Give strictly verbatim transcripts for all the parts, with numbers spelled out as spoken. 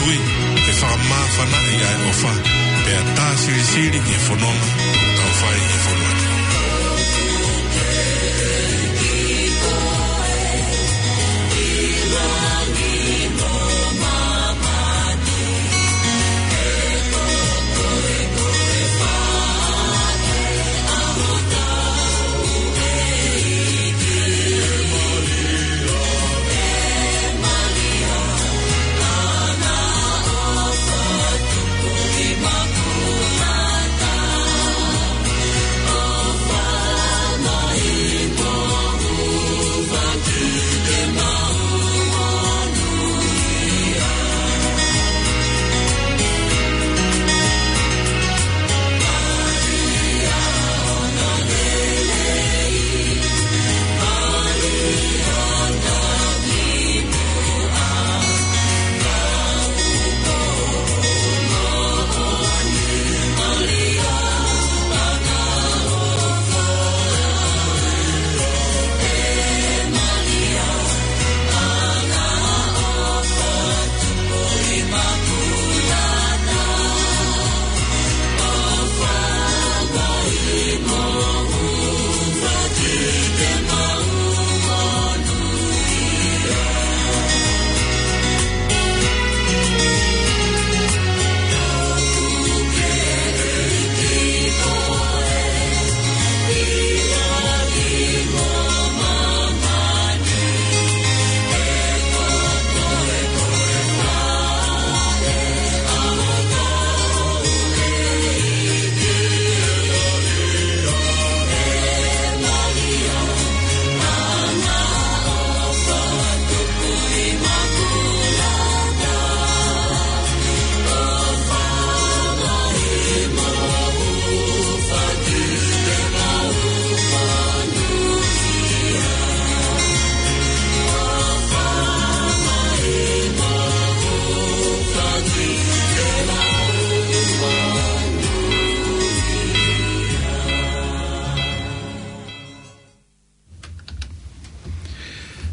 Ui, ke fakamāfanaʻi ʻa e ʻofa, pea tā silisili ki he fononga ʻoku tau fai ʻi he fonua ni.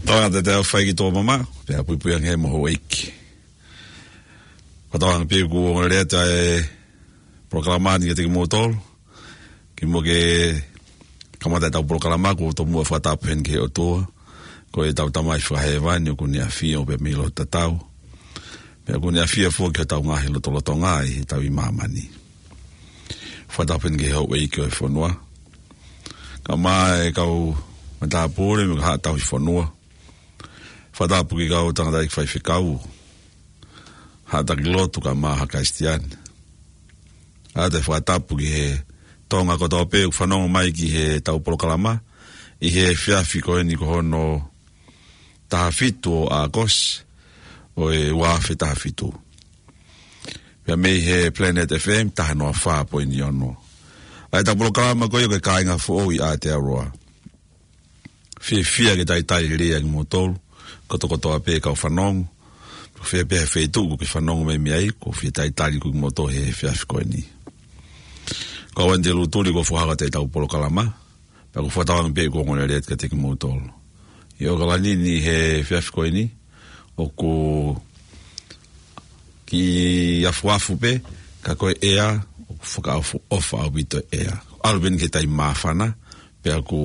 Tau ʻa te tau fai ki tō mama, pea puipui ange mo houʻeiki. Ko tau anga pē kuo ongo lelei atu ʻa e polokalama ni kiate kimoutolu. Kimuʻa ke kamata ʻetau polokalama, ʻoku ou tomuʻa fakatapu heni ki he ʻOtua, ko ʻetau Tamai Fakahēvani, ʻoku ne ʻafio pē mei loto tatau. Pea ʻoku ne ʻafio foki ki hotau ngaahi lotolotonga ʻi heʻetau ʻi māmani. Fakatapu heni ki he houʻeiki ʻo e fonua. Kae ʻumaʻā e kau matāpule mo e kau haʻa tauhi fonua. Fakatapu ki he kau tangataʻeiki faifekau, haʻa taki lotu kae ʻumaʻā haʻa Kalisitiane. ʻOatu e fakatapu ki he Tonga kotoa pē ʻoku fanongo mai ki heʻetau polokalama ʻi he efiafi ko eni ko hono taha fitu ʻo ʻAokosi ʻo e ua afe taha fitu. Pea mei he Planet F M taha noa fā poini ono. ʻA ʻetau polokalama ko ia ko e Kāinga Foʻou ʻi Aotearoa. Fiefia ke talitali lelei ʻa kimoutolu kotokotoa pē kau fanongo. Ko fē pē ha feituʻu ʻoku ke fanongo mai mei ai, ʻoku ou fie talitali atu kimoutolu he efiafi ko eni. Ko au Andy Lutuli ʻoku ou fakahoko atu ʻetau polokalama. Pea ʻoku ou fakatauange pē ʻoku ongo lelei atu kiate kimoutolu. ʻI ʻAokalani ni he efiafi ko eni, ʻoku kiʻi afuafu pē, ka ko e ʻea, ʻoku fakaʻofoʻofa ʻaupito e ʻea. ʻAlu pē eni ki he taimi māfana, pea ʻoku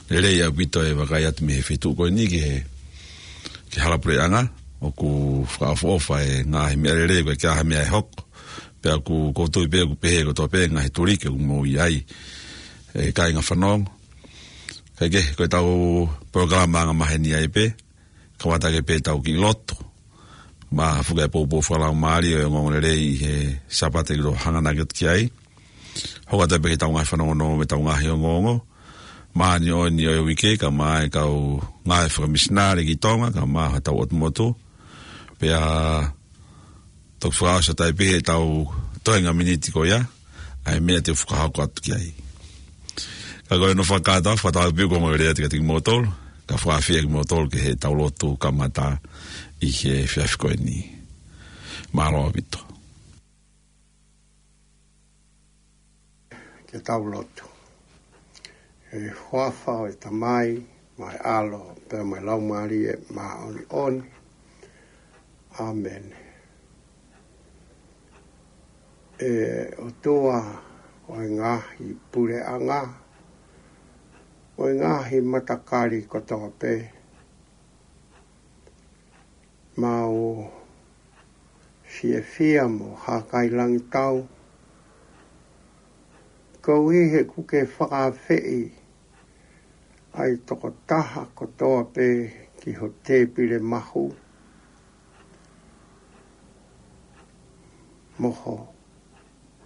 lelei ʻaupito e vakai atu mei he feituʻu ko eni ki he, ki he hala puleʻanga, ʻoku fakaʻofoʻofa e ngaahi meʻalele, ko e ʻikai ha meʻa ʻe hoko. Pea ʻoku, ʻoku ou tui pē ʻoku pehē kotoa pē ngaahi tuliki ʻoku mou ʻi ai, e kāinga fanongo. Kae kehe, ko ʻetau polokalama angamaheni ai pē, kamata ake pē ʻetau kiʻi lotu. Mo ha fuʻu kiʻi poupou fakalaumālie ʻo e ongoongolelei ʻi he Sāpate kuo hanga ʻaki atu ki ai. Hoko atu pē ki heʻetau ngaahi fanongonongo mo ʻetau ngaahi ongoongo māʻoniʻoni ʻo e uike, kae ʻumaʻā e kau ngāue fakamisinale ki Tonga, kae ʻumaʻā hotau ʻotu motu. Pea toki fakaʻosi atu ai pē heʻetau toenga miniti ko ia, ʻa e meʻa te u fakahoko atu ki ai. Ka ko ʻene fakakātoa, fakatauange pē ʻoku ongo lelei atu kiate kimoutolu, kae fakaafeʻi kimoutolu ki heʻetau lotu kamata ʻi he efiafi ko eni. Mālō ʻaupito. Ke tau lotu. ʻI he huafa ʻo e Tamai, mo e ʻAlo, pea mo e Laumālie Māʻoniʻoni. ʻĀmeni. ʻE ʻOtua ʻo e ngaahi puleʻanga, ʻo e ngaahi matakali kotoa pē, mau fiefia mo hākailangitau koeʻuhi he kuo ke fakaafeʻi ʻa e tokotaha kotoa pē ki ho tēpile mahu mo ho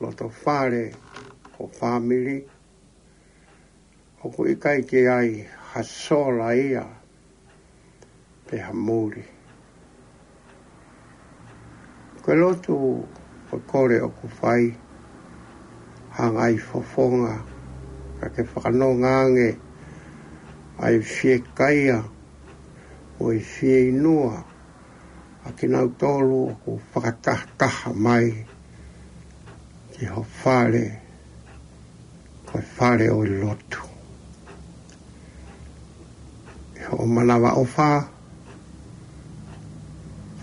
loto fale, ho fāmili, ʻoku ʻikai ke ʻi ai ha sola ia pe ha muli. Ko e lotu ʻo e kole ʻoku fai, hanga ʻi he fofonga, ka ke fakanonga ange ʻa e fiekaia mo e fieinua ʻa kinautolu ʻoku fakatahataha mai ki ho fale, ko e fale ʻo e lotu. ʻI hoʻo manavaʻofa,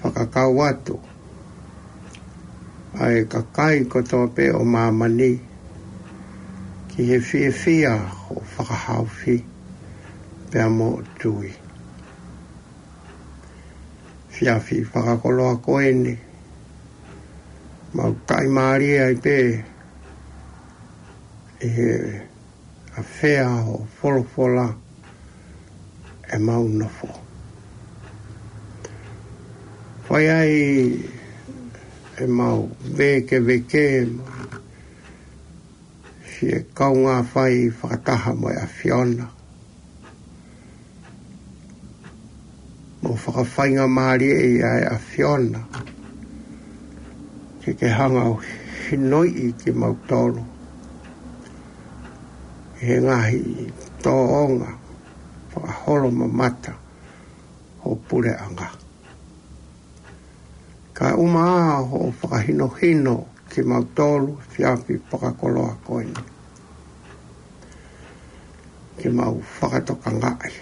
fakakau atu ʻa e kakai kotoa pē ʻo māmani ki he fiefia hoʻo fakahaofi pea mo tui. Efiafi fakakoloa ko eni, mau taʻimālie ai pē ʻi he ʻafea hoʻo folofola ʻemau nofo. Fai ai ʻemau vēkeveke, fie kaungā fai fakataha mo e ʻAfiona, mo fakafaingamālieʻi ʻa e ʻAfiona ke ke hanga ʻo hinoiʻi kimautolu ʻi he ngaahi tōʻonga fakaholo mamata ho puleʻanga. Kae ʻumaʻā hoʻo fakahinohino kimautolu efiafi fakakoloa ko eni, ke mau fakatokangaʻi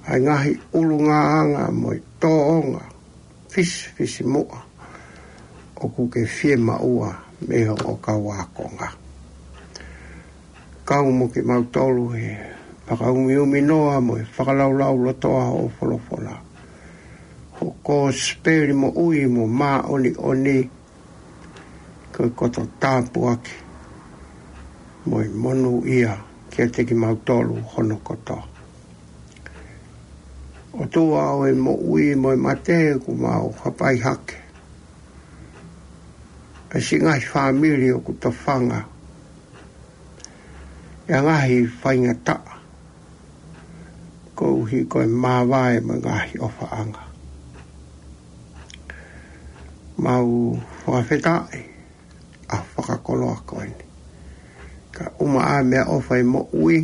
ʻa e ngaahi ʻulungaanga mo e tōʻonga fisifisimuʻa ʻoku ke fiemaʻua mei hoʻo kau ākonga. Kau mo kimautolu he fakaumiuminoa mo e fakalaulaulotoa hoʻo folofola. Hoʻo kosipeli moʻui mo māʻoniʻoni, ko e koto tāpuaki mo e monūʻia kiate kimautolu hono kotoa. ʻOtua ʻo e moʻui mo e mate, ʻoku mau hapai hake ʻa e siʻi ngaahi fāmili ʻoku tofanga ʻe he ngaahi faingataʻa, koeʻuhi ko e māvae mo e ngaahi ʻofaʻanga. Mau fakafetaʻi ʻa e fakakoloa ko eni, kae ʻumaʻā e meʻaʻofa ʻo e moʻui,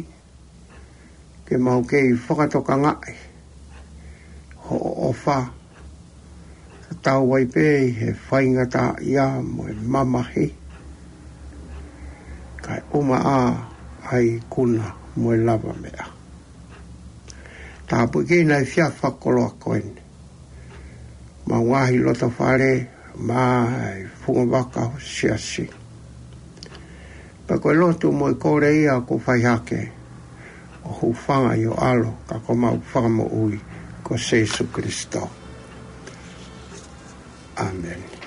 ke mau kei fakatokangaʻi hoʻo ʻofa, tatau ai pē ʻi he faingataʻaʻia mo e mamahi, kae ʻumaʻā ʻa e ikuna mo e lavameʻa. Tāpuekina e efiafi fakakoloa ko eni ʻemau ngaahi loto fale, mo e funga vaka ho siasi. Pea ko e lotu mo e kole ia ʻoku fai hake ʻo hūfanga ʻi ho ʻAlo, ka ko homau Fakamoʻui ko Sīsū Kalaisi. ʻĀmeni.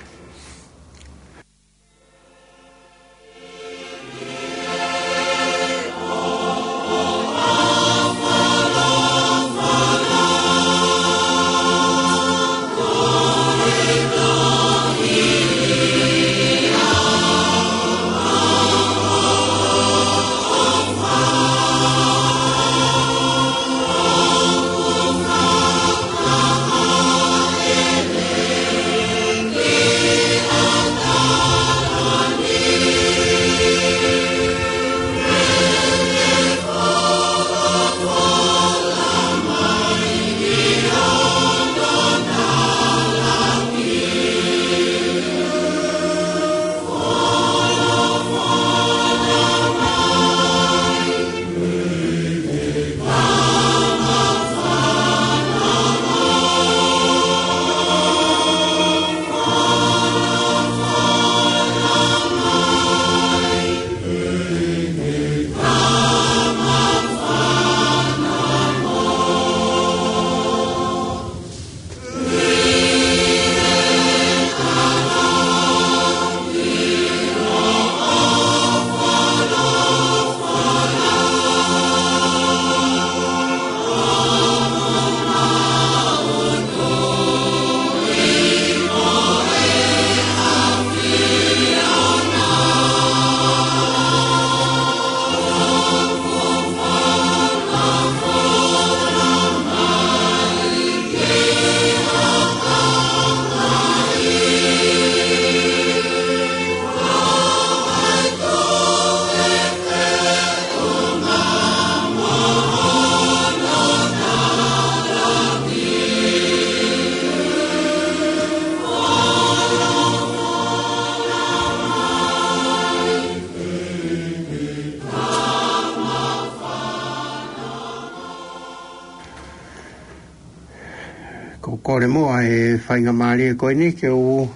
Ko e kole muʻa e faingamālie ko eni ke u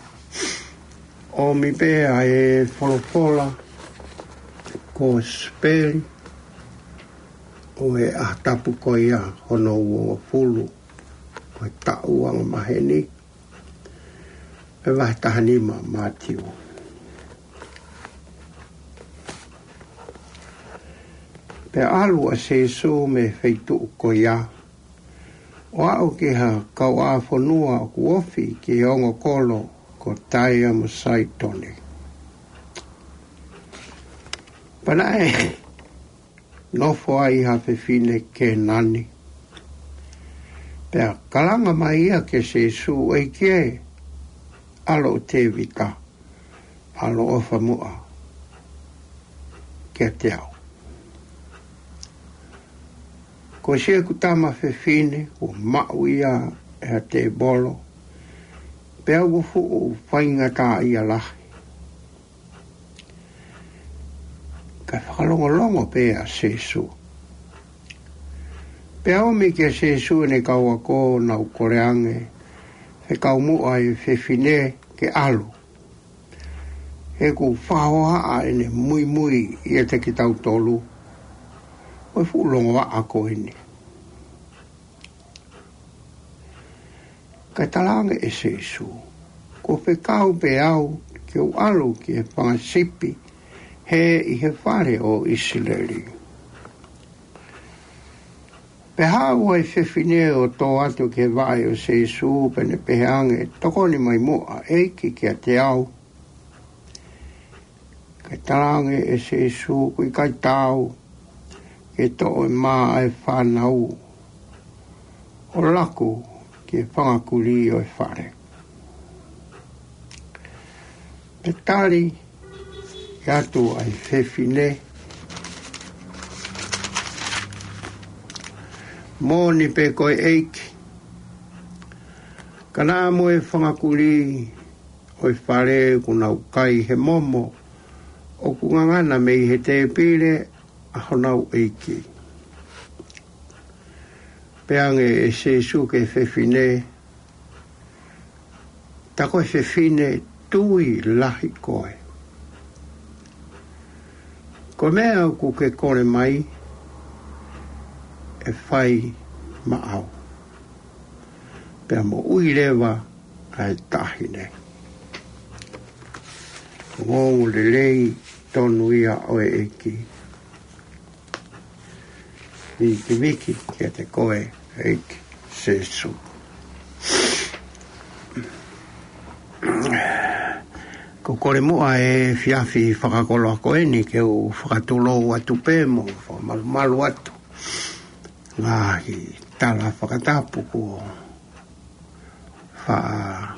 ʻomi pē ʻa e folofola kosipeli ʻo e ʻaho tapu ko ia hono uofulu ʻo e taʻu anga maheni, pea vahe taha nima Mātiu. Pea ʻalu ʻa Sīsū mei he feituʻu ko ia, ʻo aʻu ki ha kauʻāfonua ʻoku ofi ki he ongo kolo ko Taea mo Saitone. Pea naʻe nofo ai ha fefine Kēnani. Pea kalanga mai ia kia Sīsū, ʻEiki ē, ʻAlo ʻo Tēvita, ʻaloʻofa muʻa kiate au. Ko siʻeku tama fefine, kuo maʻu ia ʻe ha tēvolo, pea ʻoku fuʻu faingataʻaʻia lahi. Kae fakalongolongo pē ʻa Sīsū. Pea ʻomi kia Sīsū ʻene kau ako ʻo nau kole ange, fekau muʻa e fefine ke ʻalu, he ʻoku fakahohaʻa ʻene muimui ʻiate kitautolu ʻa e fuʻu longoaʻa ko eni. Kae talaange ʻe Sīsū, Kuo fekau pē au ke u ʻalu ki he fanga sipi hē ʻi he fale ʻo ʻIsileli. Pea haʻu ʻa e fefine ʻo tō atu ki he vaʻe ʻo Sīsū, pea ne pehē ange, Tokoni mai muʻa, ʻEiki, kiate au. Kae talaange ʻe Sīsū, Kuo ʻikai taau ke toʻo e mā ʻa e fānau ʻo laku ki he fanga kulī ʻo e fale. Pea tali atu ʻa e fefine, Moʻoni pē koe, ʻEiki, ka naʻa mo e fanga kulī ʻo e fale ʻoku nau kai he momo ʻoku ngangana mei he tēpile ʻa honau ʻeiki. Pehē ange ʻe Sīsū ki he fefine, Tā ko e fefine tui lahi koe. Ko e meʻa ʻoku ke kole mai, ʻe fai maʻau. Pea moʻui leva ʻa e taʻahine. Ongoongo lelei tonu ia ʻo e ʻEiki. Vikiviki kiate koe, ʻEiki Sīsū. Ko e kole muʻa e efiafi fakakoloa ko eni ke u fakatulou atu pē mo fakamalumalu atu ngaahi tala fakatapu kuo fa-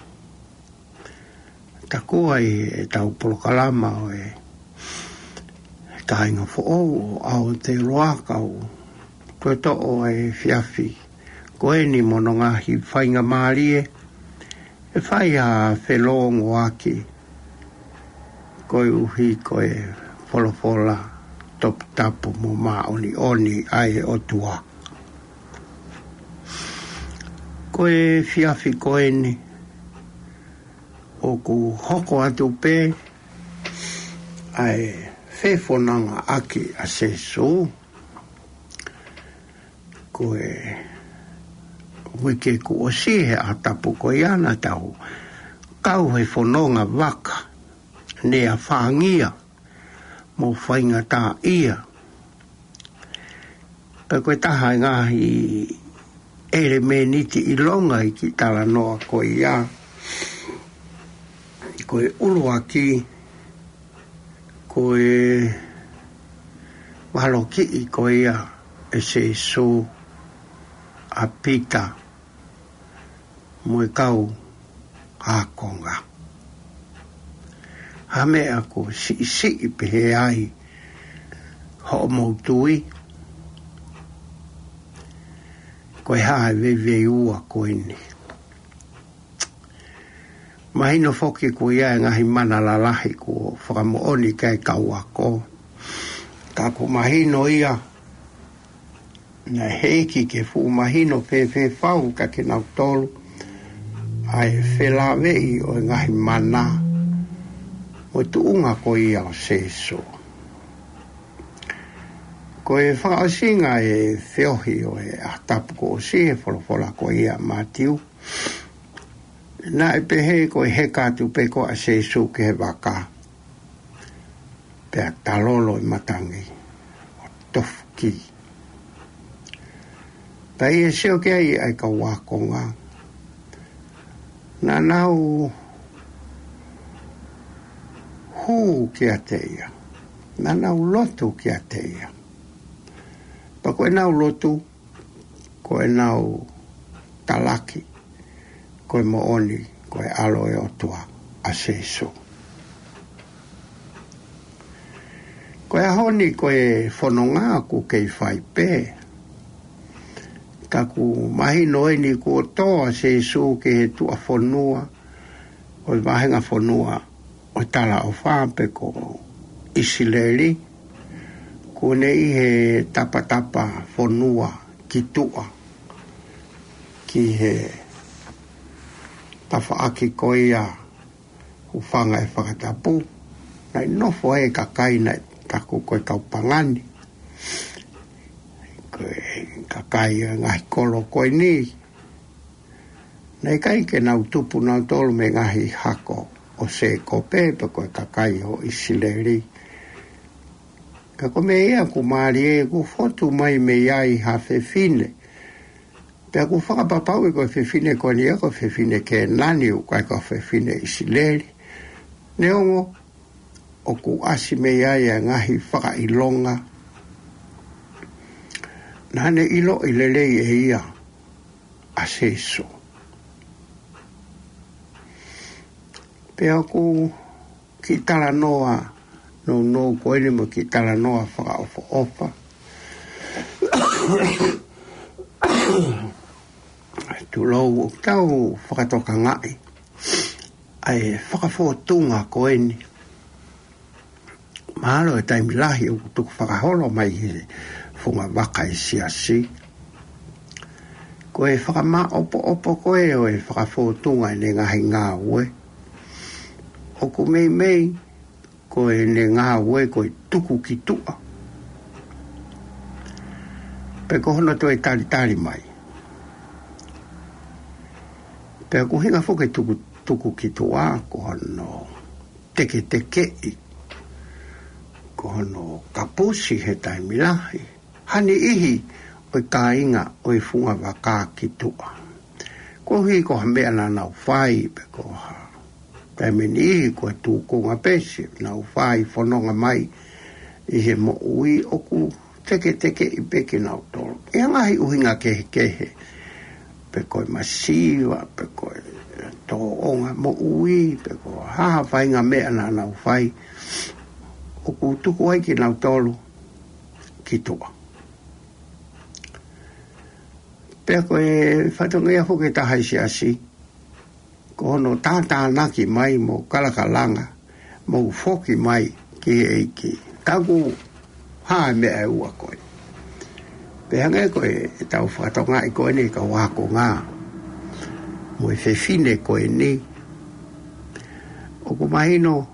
takua ʻi heʻetau polokalama ʻo e kāinga foʻou ʻo Aotearoa, kau toe toʻo e efiafi ko eni mo hono ngaahi faingamālie ʻe fai ha felōngoaki, koeʻuhi ko e folofola toputapu mo māʻoniʻoni ʻa e ʻOtua. Ko e efiafi ko eni, ʻoku hoko atu pē ʻa e fefonongaʻaki ʻa Sīsū. Ko e uike kuo ʻosi he ʻaho tapu ko ia naʻa tau kau he fononga vaka, ne afāngia mo faingataʻaʻia. Pea ko e taha e ngaahi ʻelemēniti ʻilonga ʻi he kiʻi talanoa ko ia, ko e ʻuluaki, ko e valokiʻi ko ia ʻe Sīsū ʻa Pita mo e kau ākonga. Ha meʻa kuo siʻisiʻi pehē ai hoʻomou tui? Ko e hā e veiveiua ko eni? Mahino foki ko ia e ngaahi mana lalahi kuo fakamoʻoni ki ai e kau ako. Ka ʻoku mahino ia, naʻe hiki ke fuʻu mahino fēfē fau kiate kinautolu ʻa e felāveʻi ʻo e ngaahi mana mo e tuʻunga ko ia ʻo Sēsū. Ko e fakaʻosinga e feohi ʻo e ʻaho tapu kuo ʻosi he folofola ko ia ʻa Mātiu, naʻe pehē ko e heka atu pē ko ē ʻa Sēsū ki he vaka, pea talolo e matangi ʻo tofu ki. Pea ʻi he sio ki ai ʻa e kau ākonga, naʻa nau hū kiate ia, naʻa nau lotu kiate ia. Pea ko ʻenau lotu, ko ʻenau talaki, ko e moʻoni ko e ʻAlo ʻo e ʻOtua ʻa Sēsū. Ko e ʻaho ni ko e fononga ʻoku kei fai pē. Ka ʻoku mahino eni kuo tō ʻa Sēsū ki he tuʻa fonua ʻo e vahenga fonua ʻo e talaʻofa pe ko ʻIsileli, kuo ne ʻi he tapatapa fonua ki tuʻa, ki he tafaʻaki ko ia ʻoku hūfanga he fakatapu, naʻe nofo ai e kakai naʻe taku ko e kau pagani, ko e kakai ʻo e ngaahi kolo ko eni. Naʻe ʻikai ke nau tupu nautolu mei he ngaahi hako ʻo Sēkope pe ko e kakai ʻo ʻIsileli. Ka ko e meʻa ia ʻoku mālie, kuo fotu mai mei ai ha fefine. Pea ʻoku fakapapauʻi ko e fefine ko eni ia ko e fefine Kēnani, ʻoku ʻikai ko e fefine ʻIsileli. Neongo ʻoku ʻasi mei ai e ngaahi fakaʻilonga, naʻa ne ʻiloʻi lelei ʻe ia ʻa Sēsū. Pea ʻoku kiʻi talanoa nounou ko eni mo e kiʻi talanoa fakaʻofoʻofa. Tulou, ʻoku tau fakatokangaʻi ʻa e fakafōtunga ko eni. Mahalo e taimi lahi ʻoku tukufakaholo mai he funga vaka ʻa e siasi. Ko e fakamāʻopoʻopo ko ē ʻo e fakafōtunga ʻene ngaahi ngāue, ʻoku meimei ko ʻene ngāue ko e tuku ki tuʻa, pe ko hono toe talitali mai. Pea ʻoku ʻuhinga foki e tuku, tuku ki tuʻa, ko hono teketekeʻi, ko hono kapusi he taimi lahi ha niʻihi ʻo e kāinga ʻo e funga vaka ki tuʻa. Koeʻuhi ko ha meʻa naʻa nau fai pe ko ha taimi niʻihi ko e tūkunga pē siʻenau fai fononga mai ʻi he moʻui, ʻoku teketekeʻi pē kinautolu ʻi ha ngaahi ʻuhinga kehekehe, pe ko e masiva, pe ko e tōʻonga moʻui, pe ko ha faʻahinga meʻa naʻa nau fai, ʻoku tuku ai kinautolu ki tuʻa. Pea ko e fatongia foki ʻe taha ʻi he siasi, ko hono tātānaki mai mo kalakalanga mo foki mai ki he ʻEiki. Ka ʻoku hā e meʻa ʻe ua ko ē. Pea hangē ko ʻetau fakatokangaʻi ko eni e kau ākonga mo e fefine ko eni, ʻoku mahino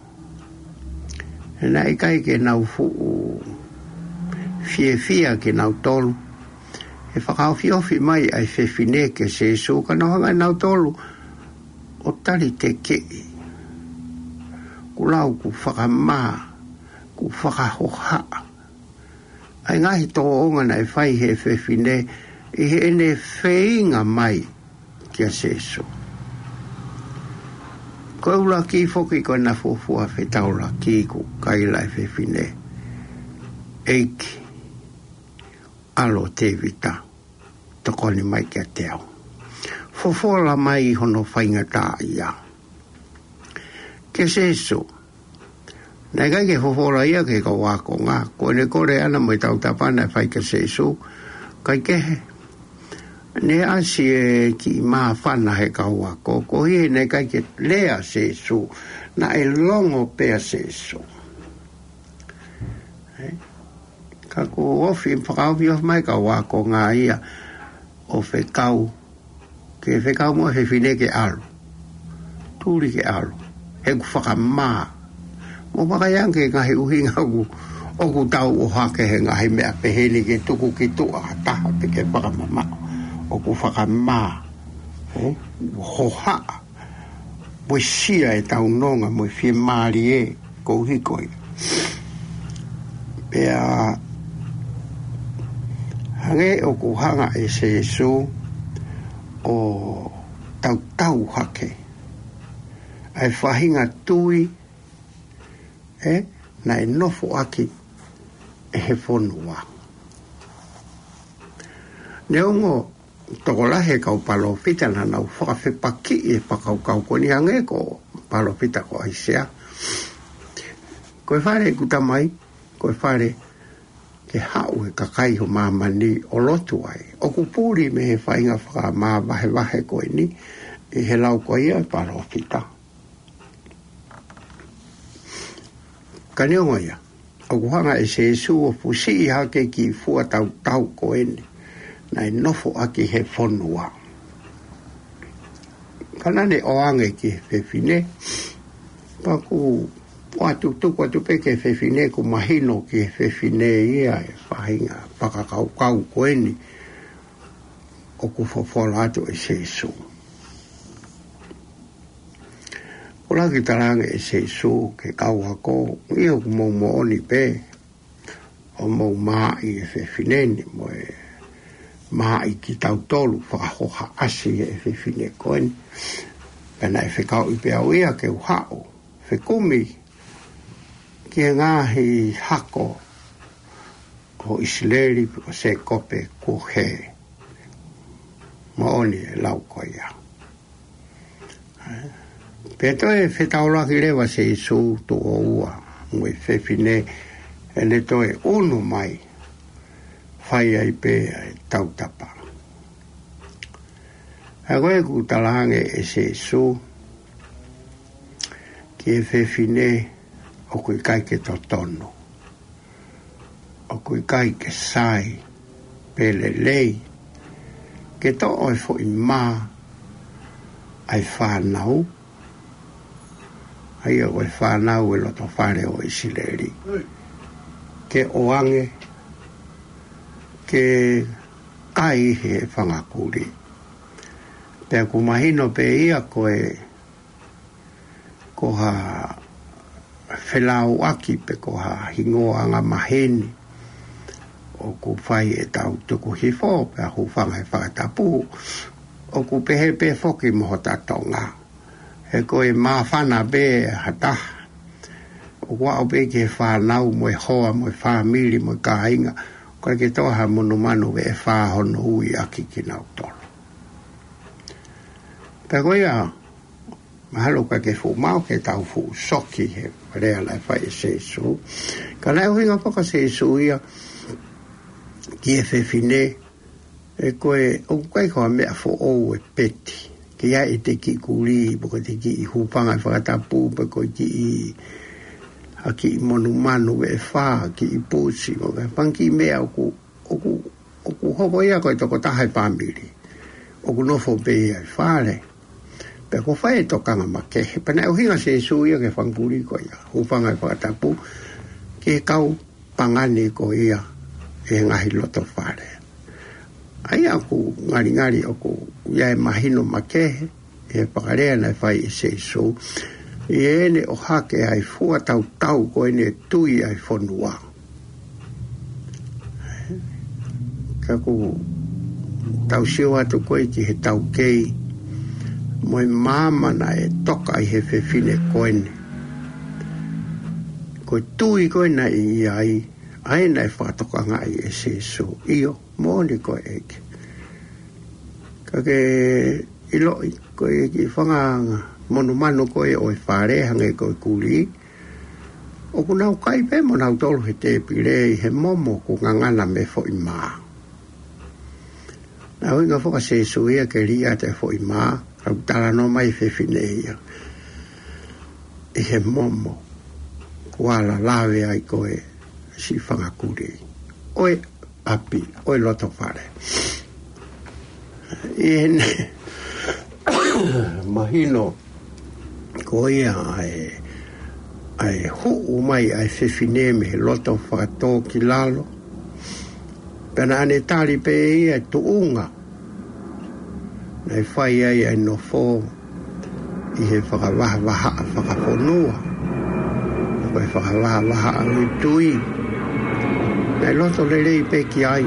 he naʻe ʻikai ke nau fuʻu fiefia kinautolu he fakaofiofi mai ʻa e fefine kia Sēsū, ka nau hanga ʻe nautolu ʻo talitekeʻi, kuo lau kuo fakamā, kuo fakahohaʻa ʻa e ngaahi tōʻonga naʻe fai ʻe he fefine ʻi heʻene feinga mai kia Sēsū. Ko e ʻuluaki foki ko ʻena fuofua fetaulaki, kuo kaila ʻe he fefine, ʻEiki, ʻAlo ʻo Tēvita, tokoni mai kiate au. Fofola mai hono faingataʻaʻia kia Sēsū. Naʻe ʻikai ke fofola ia ki he kau ākonga. Ko ʻene kole ʻana mo e tautapa naʻe fai kia Sēsū, kae kehe, naʻe ʻasi e kiʻi māfana he kau ako, koeʻuhi naʻe ʻikai ke lea Sēsū, naʻe longo pē ʻa Sēsū. Ē? Ka kuo ofi, fakaofiofi mai e kau ākonga ia ʻo fekau, ke fekau mo e fefine ke ʻalu. Tuli ke ʻalu, he ʻoku fakamā. Mo vakai ange ki he ngaahi ʻuhinga ʻoku, ʻoku tau ʻohake he ngaahi meʻa pehē ni ke tuku ki tuʻa ha taha pe ke fakamamaʻo. ʻOku fakamā. Ē? Hohaʻa. Puesia ʻetau nonga mo e fiemālie koeʻuhi ko ia. Pea hangē ʻoku hanga ʻe Sēsū ʻo tautau hake ʻa e faʻahinga tui, ē, naʻe nofoʻaki ʻe he fonua. Neongo tokolahi e kau palōfita naʻa nau fakafepakiʻi e fakakaukau ko eni, hangē ko e palōfita ko ʻAisea. Ko e fale ʻeku Tamai, ko e fale ke haʻu e kakai ho māmani ʻo lotu ai. ʻOku puli mei he faʻahinga fakamāvahevahe ko eni ʻi he lau ko ia e palōfita. Ka neongo ia, ʻoku hanga ʻe Sēsū ʻo fusiʻi hake e kiʻi fua tautau ko eni naʻe nofoʻaki ʻe he fonua. Ka naʻa ne ʻoange ki he fefine, pea ʻoku ʻoatu, tuku atu pē ki he fefine ʻoku mahino ki he fefine ia e faʻahinga fakakaukau ko eni ʻoku fofola atu ʻe Sēsū. ʻOku lava ke talaange ʻe Sēsū ki he kau ako, ʻio, ʻoku mou moʻoni pē ʻoku mou maʻi e fefine ni mo e maʻi kitautolu, fakahohaʻasi e fefine ko eni. Pea naʻe fekauʻi pē au ia ke u haʻu fekumi ki he ngaahi hako ʻo ʻIsileli pe ko Sēkope kuo hē. Moʻoni e lau ko ia. Pea toe fetaulaki leva Sēsū tuʻo ua mo e fefine, ʻene toe ʻunu mai, fai ai pē ʻa e tautapa. ʻA ia ko ē ʻoku talaange ʻe Sēsū ki he fefine ʻoku ʻikai ke totonu, ʻoku ʻikai ke sai pe lelei ke toʻo e foʻi mā ʻa e fānau, ʻa ia ko e fānau e loto fale ʻo ʻIsileli, ke ʻoange ke kai he fanga kulī. Pea ʻoku mahino pē ia ko e, ko ha felauʻaki pe ko ha hingoa angamaheni ʻoku fai ʻetau tuku hifo pea hūfanga he fakatapu, ʻoku pehē pē foki mo hota Tonga. He ko e māfana pē ha taha, ʻoku aʻu pē ki he fānau mo e hoa mo e fāmili mo e kāinga, ʻoku ʻikai ke toʻo ha monumanu veʻe fā hono ui ʻaki kinautolu. Pea ko ia, mahalo ʻoku ʻikai ke fuʻu maʻu ke tau fuʻu soki he lea naʻe fai ʻe Sēsū. Ka naʻe ʻuhinga foki ʻa Sēsū ia ki he fefine, ʻe ko e, ʻoku ʻikai ko ha meʻa foʻou e peti. Ke ʻi ai ʻete kiʻi kulī, pe ko ʻete kiʻi hūfanga he fakatapu, pe ko e kiʻi, ha kiʻi monumanu veʻe fā, kiʻi pusi, mo e fanga kiʻi meʻa ʻoku, ʻoku, ʻoku hoko ia ko e tokotaha e fāmili ʻoku nofo pē ia ʻi fale. Pea ʻoku fai e tokanga makehe. Pea naʻe ʻuhinga ʻa Sēsū ia ki he fanga kulī ko ia, hūfanga he fakatapu, ki he kau pangani ko ia ʻi he ngaahi loto fale. ʻA ia ʻoku ngalingali ʻoku ʻi ai e mahino makehe ʻi he fakalea naʻe fai ʻe Sēsū ʻi heʻene ʻohake ʻa e fua tautau ko eni e tui ʻa e fonua. Ka ʻoku tau sio atu ko ē ki he taukei mo e maama naʻe toka ʻi he fefine ko eni. Ko e tui ko ē naʻe ʻi ai, ʻa ia naʻe fakatokangaʻi ʻe Sēsū. ʻIo, moʻoni ko e ʻEiki. Ka ke ʻiloʻi, ko e kiʻi fanga monumanu ko ē ʻo e fale hangē ko e kulī, ʻoku nau kai pē mo nautolu he tēpile ʻi he momo ʻoku ngangana mei he foʻi mā. Naʻe ʻuhinga foki ʻa Sēsū ia ke liʻaki e foʻi mā, ka ʻoku talanoa mai e fefine ia ʻi he momo ʻoku ala lave ai ko ē siʻi fanga kulī ʻo e ʻapi, ʻo e loto fale. ʻI heʻene mahino ʻo ia ʻa e, ʻa e huʻu mai ʻa e fefine mei he loto fakatōkilalo. Pea naʻa ne tali pē ia e tuʻunga naʻe fai ai ʻa e nofo ʻi he fakavahavahaʻa fakafonua, ko e fakavahavahaʻa ʻo e tui. Naʻe loto lelei pē ki ai,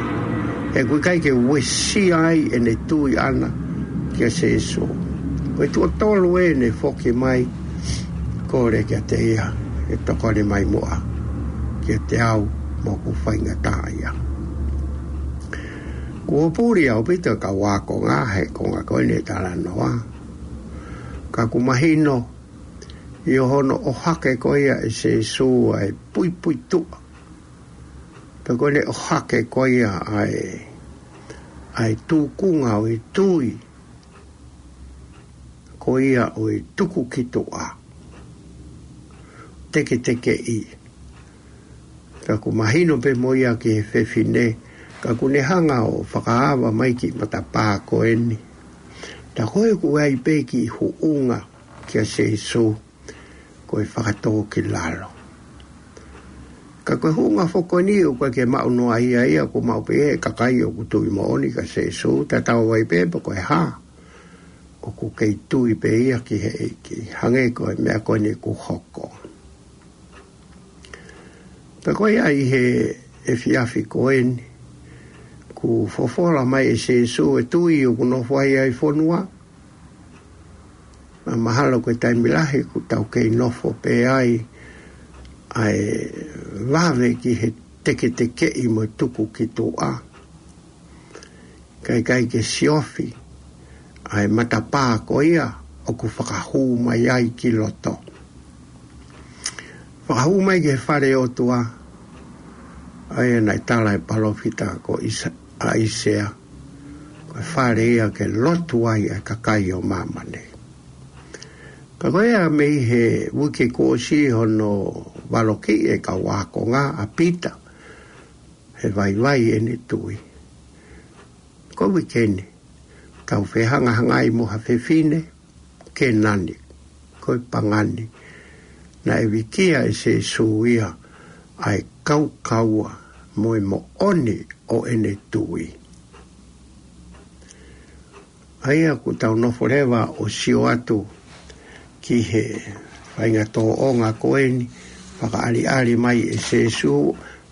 he ʻoku ʻikai ke uesia ai ʻene tui ʻana kia Sēsū. Ko e tuʻo tolu ʻene foki mai, kole kiate ia ke tokoni mai muʻa kiate au, mo ʻoku faingataʻaʻia. Kuo puli ʻaupito e kau ākonga he konga ko eni e talanoa. Ka ʻoku mahino ʻi hono ʻohake ko ia ʻe Sēsū ʻa e puipuituʻa, pe ko ʻene ʻohake ko ia ʻa e, ʻa e tūkunga ʻo e tui, ko ia ʻo e tuku ki tuʻa, teketekeʻi. Ka ʻoku mahino pē mo ia ki he fefine, ka ʻoku ne hanga ʻo fakaava mai ki matapā ko eni. Tā ko ē ʻoku ʻi ai pē kiʻi huʻunga kia Sēsū, ko e fakatōkilalo. Ka ko e huʻunga foki ko eni ʻoku ʻikai ke maʻu noa ia, ia ʻoku maʻu pē ʻe he kakai ʻoku tui moʻoni kia Sēsū, tatau ai pē pe ko e hā. ʻOku kei tui pē ia ki he ʻEiki, hangē ko e meʻa ko eni ʻoku hoko. Pea ko ia ʻi he efiafi ko eni, kuo fofola mai ʻe Sēsū e tui ʻoku nofo ai ʻa e fonua. Naʻa mahalo ko e taimi lahi ʻoku tau kei nofo pē ai ʻa e vave ki he teketekeʻi mo e tuku ki tuʻa, kae ʻikai ke siofi ʻa e matapā ko ia ʻoku fakahū mai ai ki loto. Fakahū mai ki he fale ʻo e ʻOtua, ʻa ia naʻe tala ʻe he palōfita ko ʻAisa-, ʻAisea, ko e fale ia ke lotu ai ʻa e kakai ʻo māmani. Ka ko ia mei he uike kuo ʻosi hono valokiʻi e kau ākonga ʻa Pita he vaivai ʻene tui. Ko e uike ni, tau fehangahangai mo ha fefine Kēnani, ko e pagani, naʻe vikia ʻe Sēsū ia ʻa e kaukaua mo e moʻoni ʻo ʻene tui. ʻA ia ʻoku tau nofo leva ʻo sio atu ki he faʻahinga tōʻonga ko eni, fakaʻaliʻali mai ʻe Sēsū,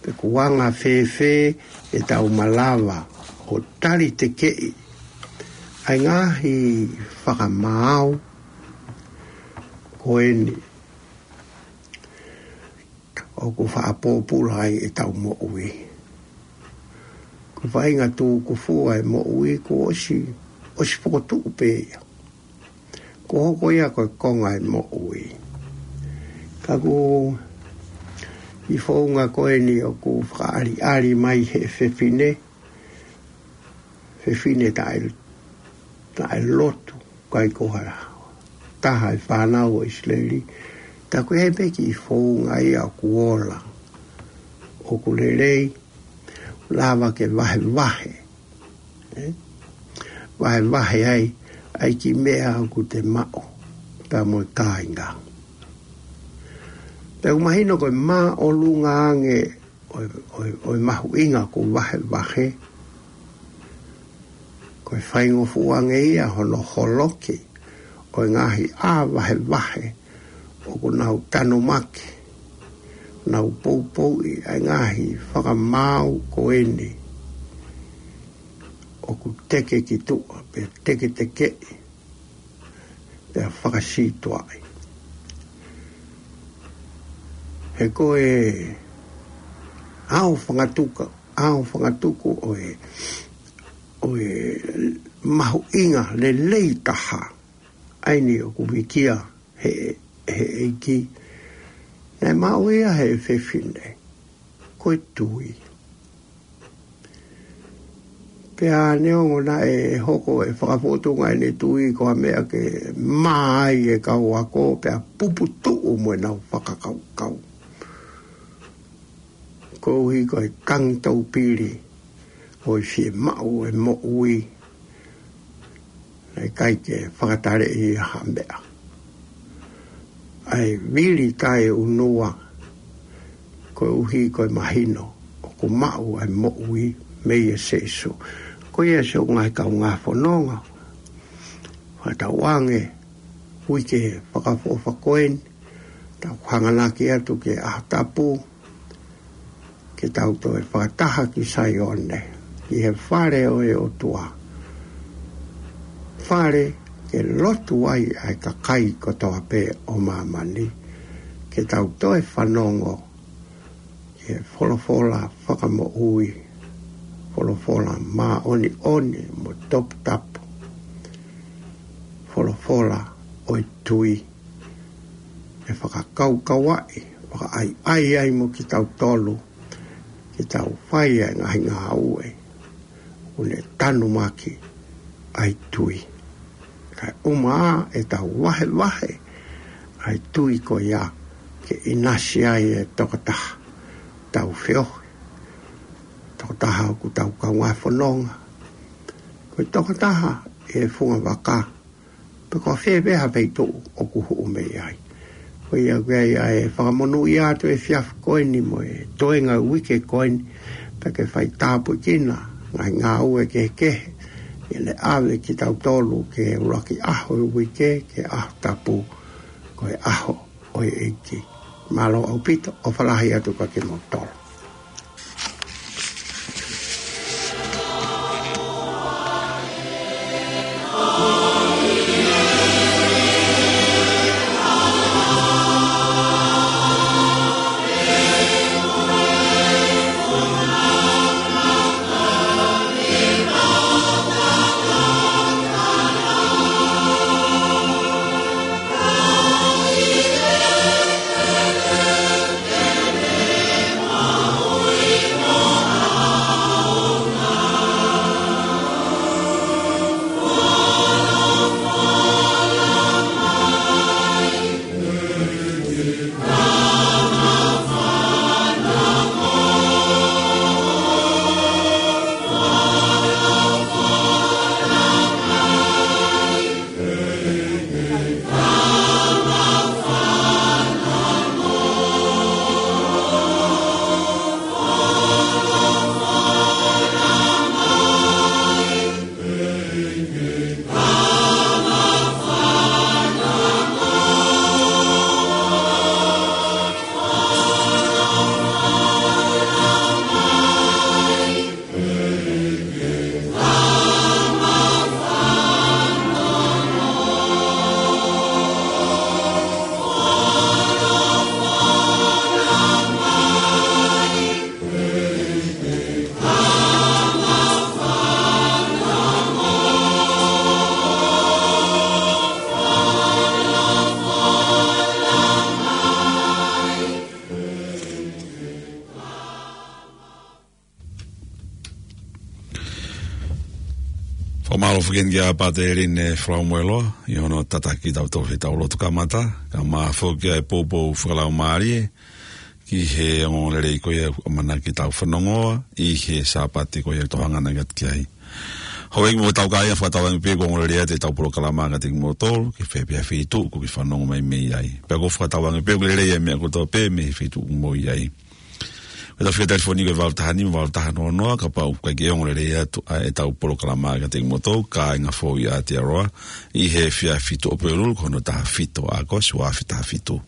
pe ʻoku anga fēfē ʻetau malava ʻo talitekeʻi ʻa e ngaahi fakamaau ko eni ʻoku faʻa pōpula ai ʻetau moʻui. Ko e faʻahinga tūkufu ʻa e moʻui kuo ʻosi, ʻosi fokotuʻu pē ia. Kuo hoko ia ko e konga ʻo e moʻui. Ka ʻoku ʻi he founga ko eni ʻoku fakaʻaliʻali mai he fefine, fefine taʻe, taʻe lotu, ʻikai ko ha taha ʻi he fānau ʻo ʻIsileli. Tā ko e pē kiʻi founga ia ʻoku ola, ʻoku lelei, lava ke vahevahe. ʻE? Vahevahe ai, ʻa e kiʻi meʻa ʻoku te maʻu, pea mo e kāinga. Pea ʻoku mahino ko e māʻolunga ange ʻo e, ʻo e, ʻo e mahuʻinga ʻoku vahevahe. Ko e faingofua ange ia hono holoki ʻo e ngaahi ʻā vahevahe ʻoku nau tanumaki, nau poupouʻi ʻa e ngaahi fakamaau ko eni ʻoku teke ki tuʻa, pe teketekeʻi, pea fakasītuʻaʻi. He ko e ʻao fangatuka, ʻao fangatuku ʻo e, ʻo e mahuʻinga lelei taha ʻa eni ʻoku vikia he, he ʻEiki, naʻe maʻu ia he fefine, ko e tui. Pea neongo naʻe hoko e fakafotunga ʻene tui ko ha meʻa ke mā ai e kau ako, pea puputuʻu mo ʻenau fakakaukau. Koeʻuhi ko e tangi taupili ʻo e fiemaʻu e moʻui, naʻe ʻikai ke fakataleʻi ha meʻa. ʻa e vili taʻeʻunua, koeʻuhi ko e mahino ʻoku maʻu ʻa e moʻui mei a Sīsū. Ko ia siʻoku ngaahi kaungā fononga, fakatauange uike fakaʻofoʻofa ko eni, tau hanganaki atu ki he ʻaho tapu, ke tau toe fakataha ki Saione, ki he fale ʻo e ʻOtua. Fale ke lotu ai ʻa e kakai kotoa pē ʻo māmani, ke tau toe fanongo ki he folofola fakamoʻui, folofola māʻoniʻoni mo toputapu, folofola ʻo e tui, ʻe fakakaukauaʻi, fakaʻaiʻai ai mo kitautolu, ke tau fai ʻa e ngaahi ngāue ʻoku ne tanumaki ʻa e tui. Kae ʻumaʻā ʻetau vahevahe ʻa e tui ko ia ke ʻinasi ai e tokotaha tau feohi, tokotaha ʻoku tau kaungā fononga, ko e tokotaha ʻi he funga vaka, pe ko fē pē ha feituʻu ʻoku huʻu mei ai. Ko ia ʻoku ʻi ai ʻa e fakamonūʻia atu he efiafi ko eni mo e toenga uike ko eni, pea ke fai tāpuekina ngaahi ngāue kehekehe, ʻi heʻene ʻave kitautolu ki he ʻuluaki ʻaho ʻo e uike, ki he ʻaho tapu, ko e ʻaho ʻo e ʻEiki. Mālō ʻaupito, ʻofa lahi atu kiate kimoutolu. Fakamālō foki kia Pātele Line Falaumueloa, ʻi hono tataki kitautolu he tau lotu kamata, kae ʻumaʻā foki ʻa e poupou fakalaumālie, ki he ongoongolelei ko ia ʻoku ʻamanaki ke tau fanongoa, ʻi he Sāpate ko ia ʻoku tau hanga atu ki ai. Houʻeiki mo e tau kāinga, fakatauange pē ʻoku ongoongolelei atu ʻetau polokalama kiate kimoutolu, ki fē pē ha feituʻu ʻoku ke fanongo mai mei ai. Pea ʻoku ou fakatauange pē ʻoku lelei ʻa e meʻa kotoa pē mei he feituʻu ʻoku mou ʻi ai. Ko ʻetau fika telefoni ko e valu taha nima valu taha noa noa, kapau ʻoku ʻikai ke ongoongolelei atu ʻa ʻetau polokalama kiate kimoutolu, kāinga foʻou ʻi Aotearoa, ʻi he efiafi Tuʻapulelulu, ko hono taha fitu ʻo ʻAokosi, ua afe taha fitu.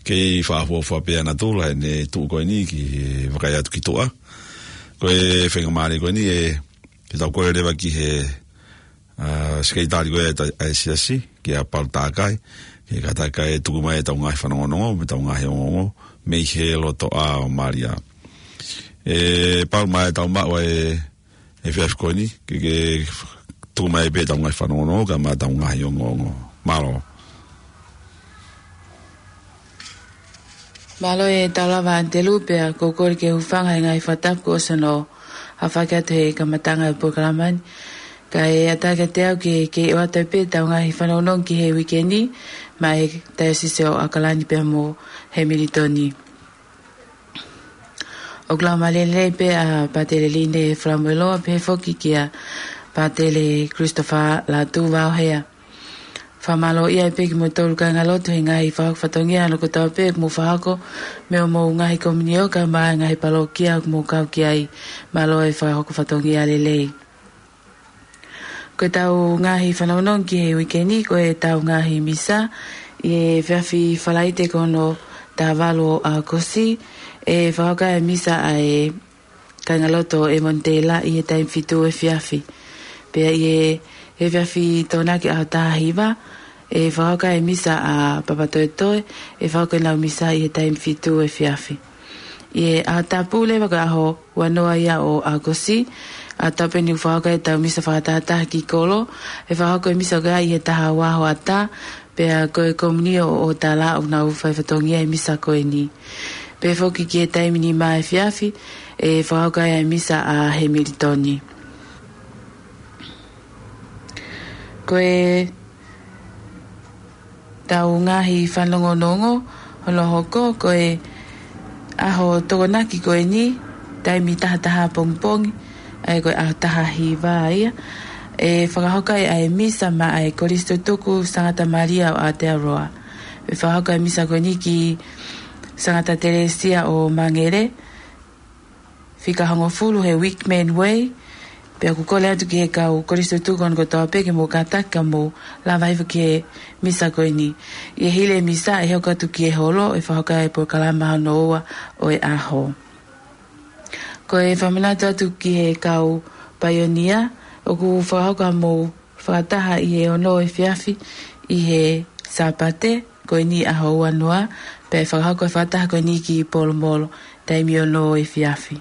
Kei fakaʻofoʻofa pē ʻa natula ʻene tuʻu ko eni ki he vakai atu ki tuʻa. Ko e faingamālie ko eni ʻe, ke tau kole leva ki he, ʻa, sekelitali ko ē ʻa e ta-, ʻa e siasi, kia Palu Takai, ke kātaki ʻo tuku mai ʻetau ngaahi fanongonongo, mo ʻetau ngaahi ongoongo, mei he lotoʻā ʻo Malia. ʻE, Palu, mai tau maʻu ʻa e, efiafi ko eni, ke, ke tuku mai pē ʻetau ngaahi fanongonongo, kae ʻumaʻā ʻetau ngaahi ongoongo. Mālō. Mālō e tau lava Telu, pea ʻoku ou kole ke u hūfanga he ngaahi fakatapu kuo ʻosi hono aofaki atu he kamataʻanga ʻo e polokalama ni. Kae ʻatā kiate au ke, ke ʻoatu pē ʻetau ngaahi fanongonongo ki he uike ni, maʻa e Taiosisi ʻo ʻAokalani pea mo Hemilitoni. ʻOku laumālie lelei pē ʻa Pātele Line Falaumueloa, pehē foki kia Pātele Christopher Lātū Vaohea. Fakamālō ia pē kimoutolu kāingalotu he ngaahi fakahoko fatongia ʻa hono kotoa pē ʻoku mou fakahoko mei hoʻomou ngaahi komiunitī kae ʻumaʻā e ngaahi palokia ʻoku mou kau ki ai. Mālō e fakahoko fatongia lelei. Ko ʻetau ngaahi fanongonongo ki he uike ni, ko ʻetau ngaahi misa ʻi he efiafi Falaite ko hono taha valu ʻo ʻAokosi, ʻe fakahoko ai e misa ʻa e kāingalotu ʻo Evonitela ʻi he taimi fitu efiafi. Pea ʻi he efiafi Tokonaki ʻaho taha hiva, ʻe fakahoko ai e misa ʻa Papatoetoe, ʻe fakahoko ʻenau misa ʻi he taimi fitu efiafi. ʻI he ʻaho tapu leva ko e ʻaho ua noa ia ʻo ʻAokosi, ʻaho tapu eni ʻoku fakahoko ai ʻetau misa fakatahataha ki kolo, ʻe fakahoko e misa ko ia ʻi he taha ua hoʻatā, pea ko e komiunitī ʻo ʻOtala ʻoku nau fai fatongia he misa ko eni. Pea foki ki he taimi nima efiafi, ʻe fakahoko ai e misa ʻa Hemilitoni. Ko e ʻetau ngaahi fanongonongo hono hoko, ko e ʻaho Tokonaki ko eni, taimi taha taha pongipongi, ʻa ia ko e ʻaho taha hiva ia, ʻe fakahoko ai ʻa e misa maʻa e Kolisi Tutuku Sangata Malia ʻo Aotearoa. ʻE fakahoko e misa ko eni ki Sangata Telesia ʻo Mangere, fika hongofulu he Wickman Way. Pea ʻoku kole atu ki he kau Kolisi Tutuku ko eni kotoa pē ke mou kātaki ka mou lava hifo ki he misa ko eni. ʻI he hili e misa ʻe hoko atu ki he holo ʻe fakahoko ai e polokalama hono ua ʻo e ʻaho. Ko e fakamanatu atu ki he kau paionia, ʻoku fakahoko haʻamou fakataha ʻi he ono efiafi ʻi he Sāpate ko eni ʻaho ua noa, pea ʻe fakahoko e fakataha ko eni ki Polomolo, taimi ono efiafi.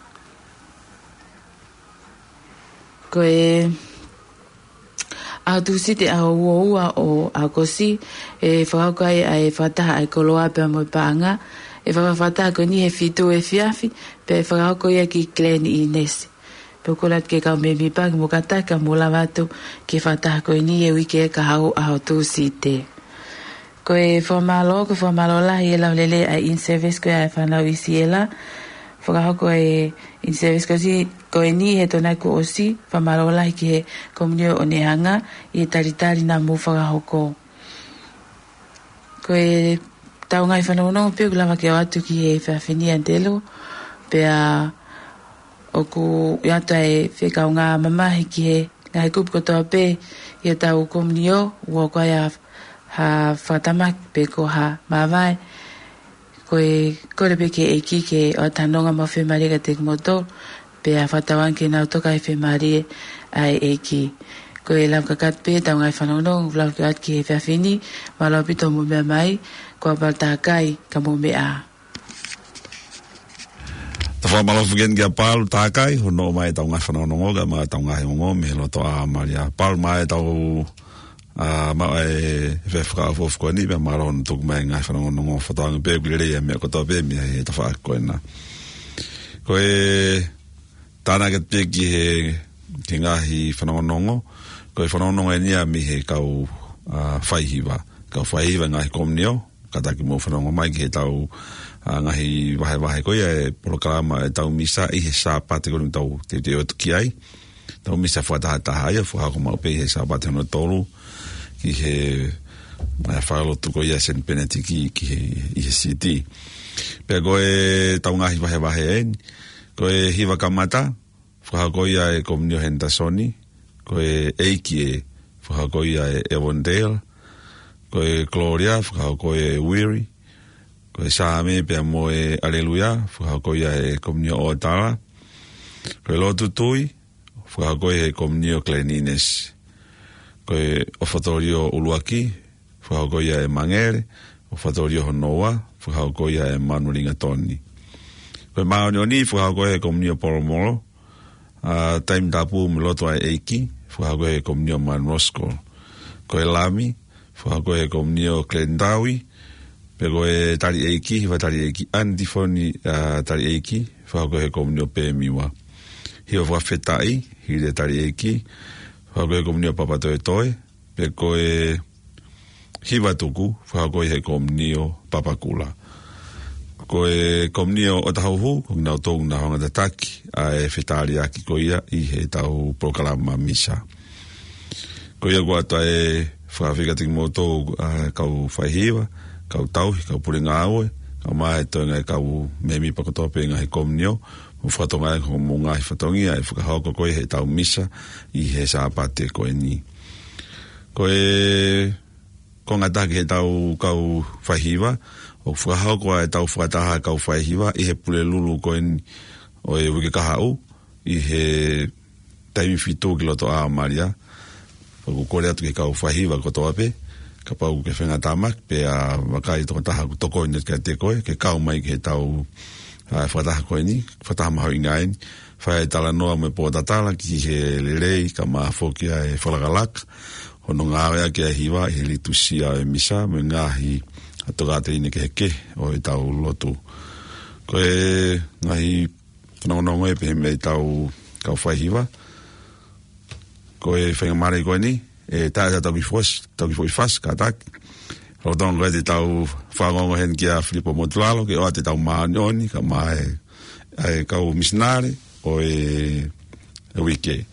Ko e ʻaho Tūsite ʻaho ua ua ʻo ʻAokosi, ʻe fakahoko ai ʻa e fakataha ʻa e koloa pea mo e paʻanga, ʻe fakahoko e fakataha ko eni he fitu efiafi, pea ʻe fakahoko ia ki Glen Innes. Pea ʻoku kole atu ki he kau mēmipa ke mou kātaki ka mou lava atu ki he fakataha ko eni he uike kahaʻu ʻaho Tūsite. Ko e fakamālō, ko e fakamālō lahi e lau lelei ʻa e in-service ko ia ʻa e fānau ʻi Siela. Fakahoko e in-service ko si, ko eni he Tokonaki kuo ʻosi, fakamālō lahi ki he komiunitī ʻo Onehunga ʻi he talitali naʻa mou fakahoko. Ko ʻetau ngaahi fanongonongo pē ʻoku lava ke ʻoatu ki he efiafi ni ʻAnitelo, pea ʻoku ʻi ai ʻa e fekaungāmamahi ki he ngaahi kupu kotoa pē ʻi hotau komiunitī, ʻoku ʻikai ha fakatamaki pe ko ha māvae, ko e kole pē ki he ʻEiki ke ʻoatu ha nonga mo e fiemālie kiate kimoutolu, pea fakatauange ke nau toka he fiemālie ʻa e ʻEiki. Ko e lava kakato pē ʻetau ngaahi fanongonongo, lava ke ʻoatu ki he efiafi ni, mālō ʻaupito hoʻomou meʻa mai, ko Apalo Takai, ka mou meʻa ā. Tau fakamālō foki eni kia Apalo Takai, hono ʻomai ʻetau ngaahi fanongonongo, kae ʻumaʻā ʻetau ngaahi ongo, mei he loto ʻa Malia. Apalo, maʻa ʻetau ʻa, maʻa e, e fakaʻofoʻofa ko eni, pea mālō hono tuku mai e ngaahi fanongonongo, fakatauange pē ʻoku lelei e meʻa kotoa pē mei he tafaʻaki ko ena. Ko e tānaki atu pē ki he, ki he ngaahi fanongonongo, ko e fanongonongo eni ia mei he kau, ʻa, faihiva, kau faihiva ngaahi komiunitī, kātaki mou fanongo mai ki heʻetau, ʻa, ngaahi vahevahe ko ia e polokalama ʻetau misa ʻi he Sāpate ko eni ʻoku tau teuteu atu ki ai. Tau misa fakatahataha ia, fakahoko maʻu pē ʻi he Sāpate hono tolu, ki he, ʻa, falelotu ko ia Saint Bernard ki, ki he, ʻi he City. Pea ko ʻetau ngaahi vahevahe eni, ko e hiva kamata, fakahoko ia ʻe he komiunitī Henderson, ko e ʻeiki ē, fakahoko ia ʻe Evondale, ko e Gloria, fakahoko ʻe Weary, ko e Saame pea mo e Aleluia, fakahoko ia ʻe he komiunitī ʻOtala, ko e Lotu Tui, fakahoko ia ʻe he komiunitī Glen Innes. Ko e ʻOfatolio ʻuluaki, fakahoko ia ʻe Mangere, ʻOfatolio hono ua, fakahoko ia ʻe Manu Lingatoni. Ko e Māʻoniʻoni, fakahoko ia ʻe he komiunitī Polomolo, ʻa, Taimi Tapu mo e Lotu ʻa e ʻEiki, fakahoko ia ʻe he komiunitī Manu Roskol. Ko e Lami, fakahoko ia ʻe he komiunitī Glen Tawi, pea ko e Tali ʻEiki, hiva tali ʻeiki, ʻAnitifoni, ʻa, tali ʻeiki, fakahoko ia ʻe he komiunitī Pemiwa. Hiva fakafetaʻi, hili e tali ʻeiki, fakahoko ia ʻe he komiunitī Papatoetoe, pea ko e hiva tuku, fakahoko ia ʻe he komiunitī Papakura. Ko e komiunitī ʻo Tahuhu, ko kinautolu naʻa nau hanga tataki ʻa e fetaliaki ko ia ʻi heʻetau polokalama misa. Ko ia kuo ʻoatu e Fakafeʻiloaki atu kimoutolu, ʻa, kau faihiva, kau tauhi, kau pule ngāue, kae ʻumaʻā e toenga e kau mēmipa kotoa pē ngaahi komiunitī, mo fakatokangaʻi hoʻomou ngaahi fatongia ʻe fakahoko ko ē heʻetau misa ʻi he Sāpate ko eni. Ko e konga ʻe taha ki heʻetau kau faihiva, ʻoku fakahoko ʻa ʻetau fakataha kau faihiva ʻi he Pulelulu ko eni ʻo e uike kahaʻu, ʻi he taimi fitu ki loto ʻa Malia. ʻOku kole atu ki he kau faihiva kotoa pē, kapau ʻoku ke feinga tāmaki, pea vakai tokotaha ʻoku tokoni kiate koe, ke kau mai ki heʻetau, ʻa, fakataha ko eni, fakataha mahuʻinga eni, fai e talanoa mo e pōtatala ki he lelei, kae ʻumaʻā foki ʻa e fakalakalaka hono ngāueʻaki ʻa e hiva ʻi he liturisia ʻo e misa, mo e ngaahi tokāteline kehekehe ʻo ʻetau lotu. Ko e ngaahi fanongonongo ē pehē mei heʻetau kau faihiva. Ko e faingamālie ko eni, ʻe taʻe ʻetau kiʻi fos-, ʻetau kiʻi foʻi fasi, kātaki. Lolotonga ko ē te tau fanongo heni kia Filipo Motulalo, ke ʻoatu ʻetau māʻoniʻoni, kae ʻumaʻā e, ʻa e kau misinale ʻo e, e uike.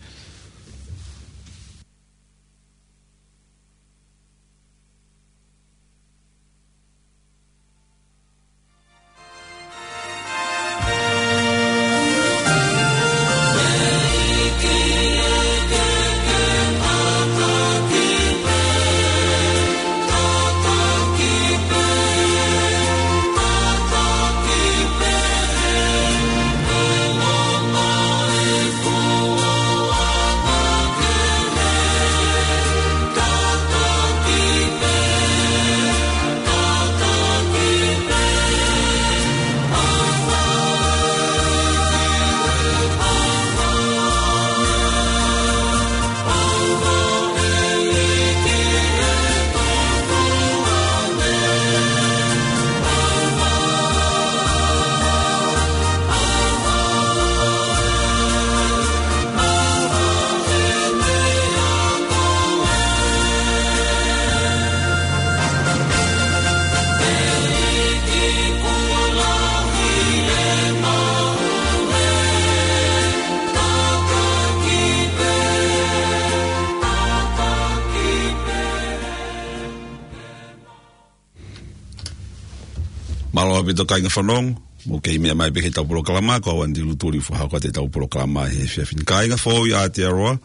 Mālō ʻaupito kāinga fanongo, mou kei meʻa mai pē ki heʻetau polokalama, ko au Andy Lutuli ʻoku fakahoko atu ʻetau polokalama he efiafi ni. Kāinga foʻou ʻi Aotearoa,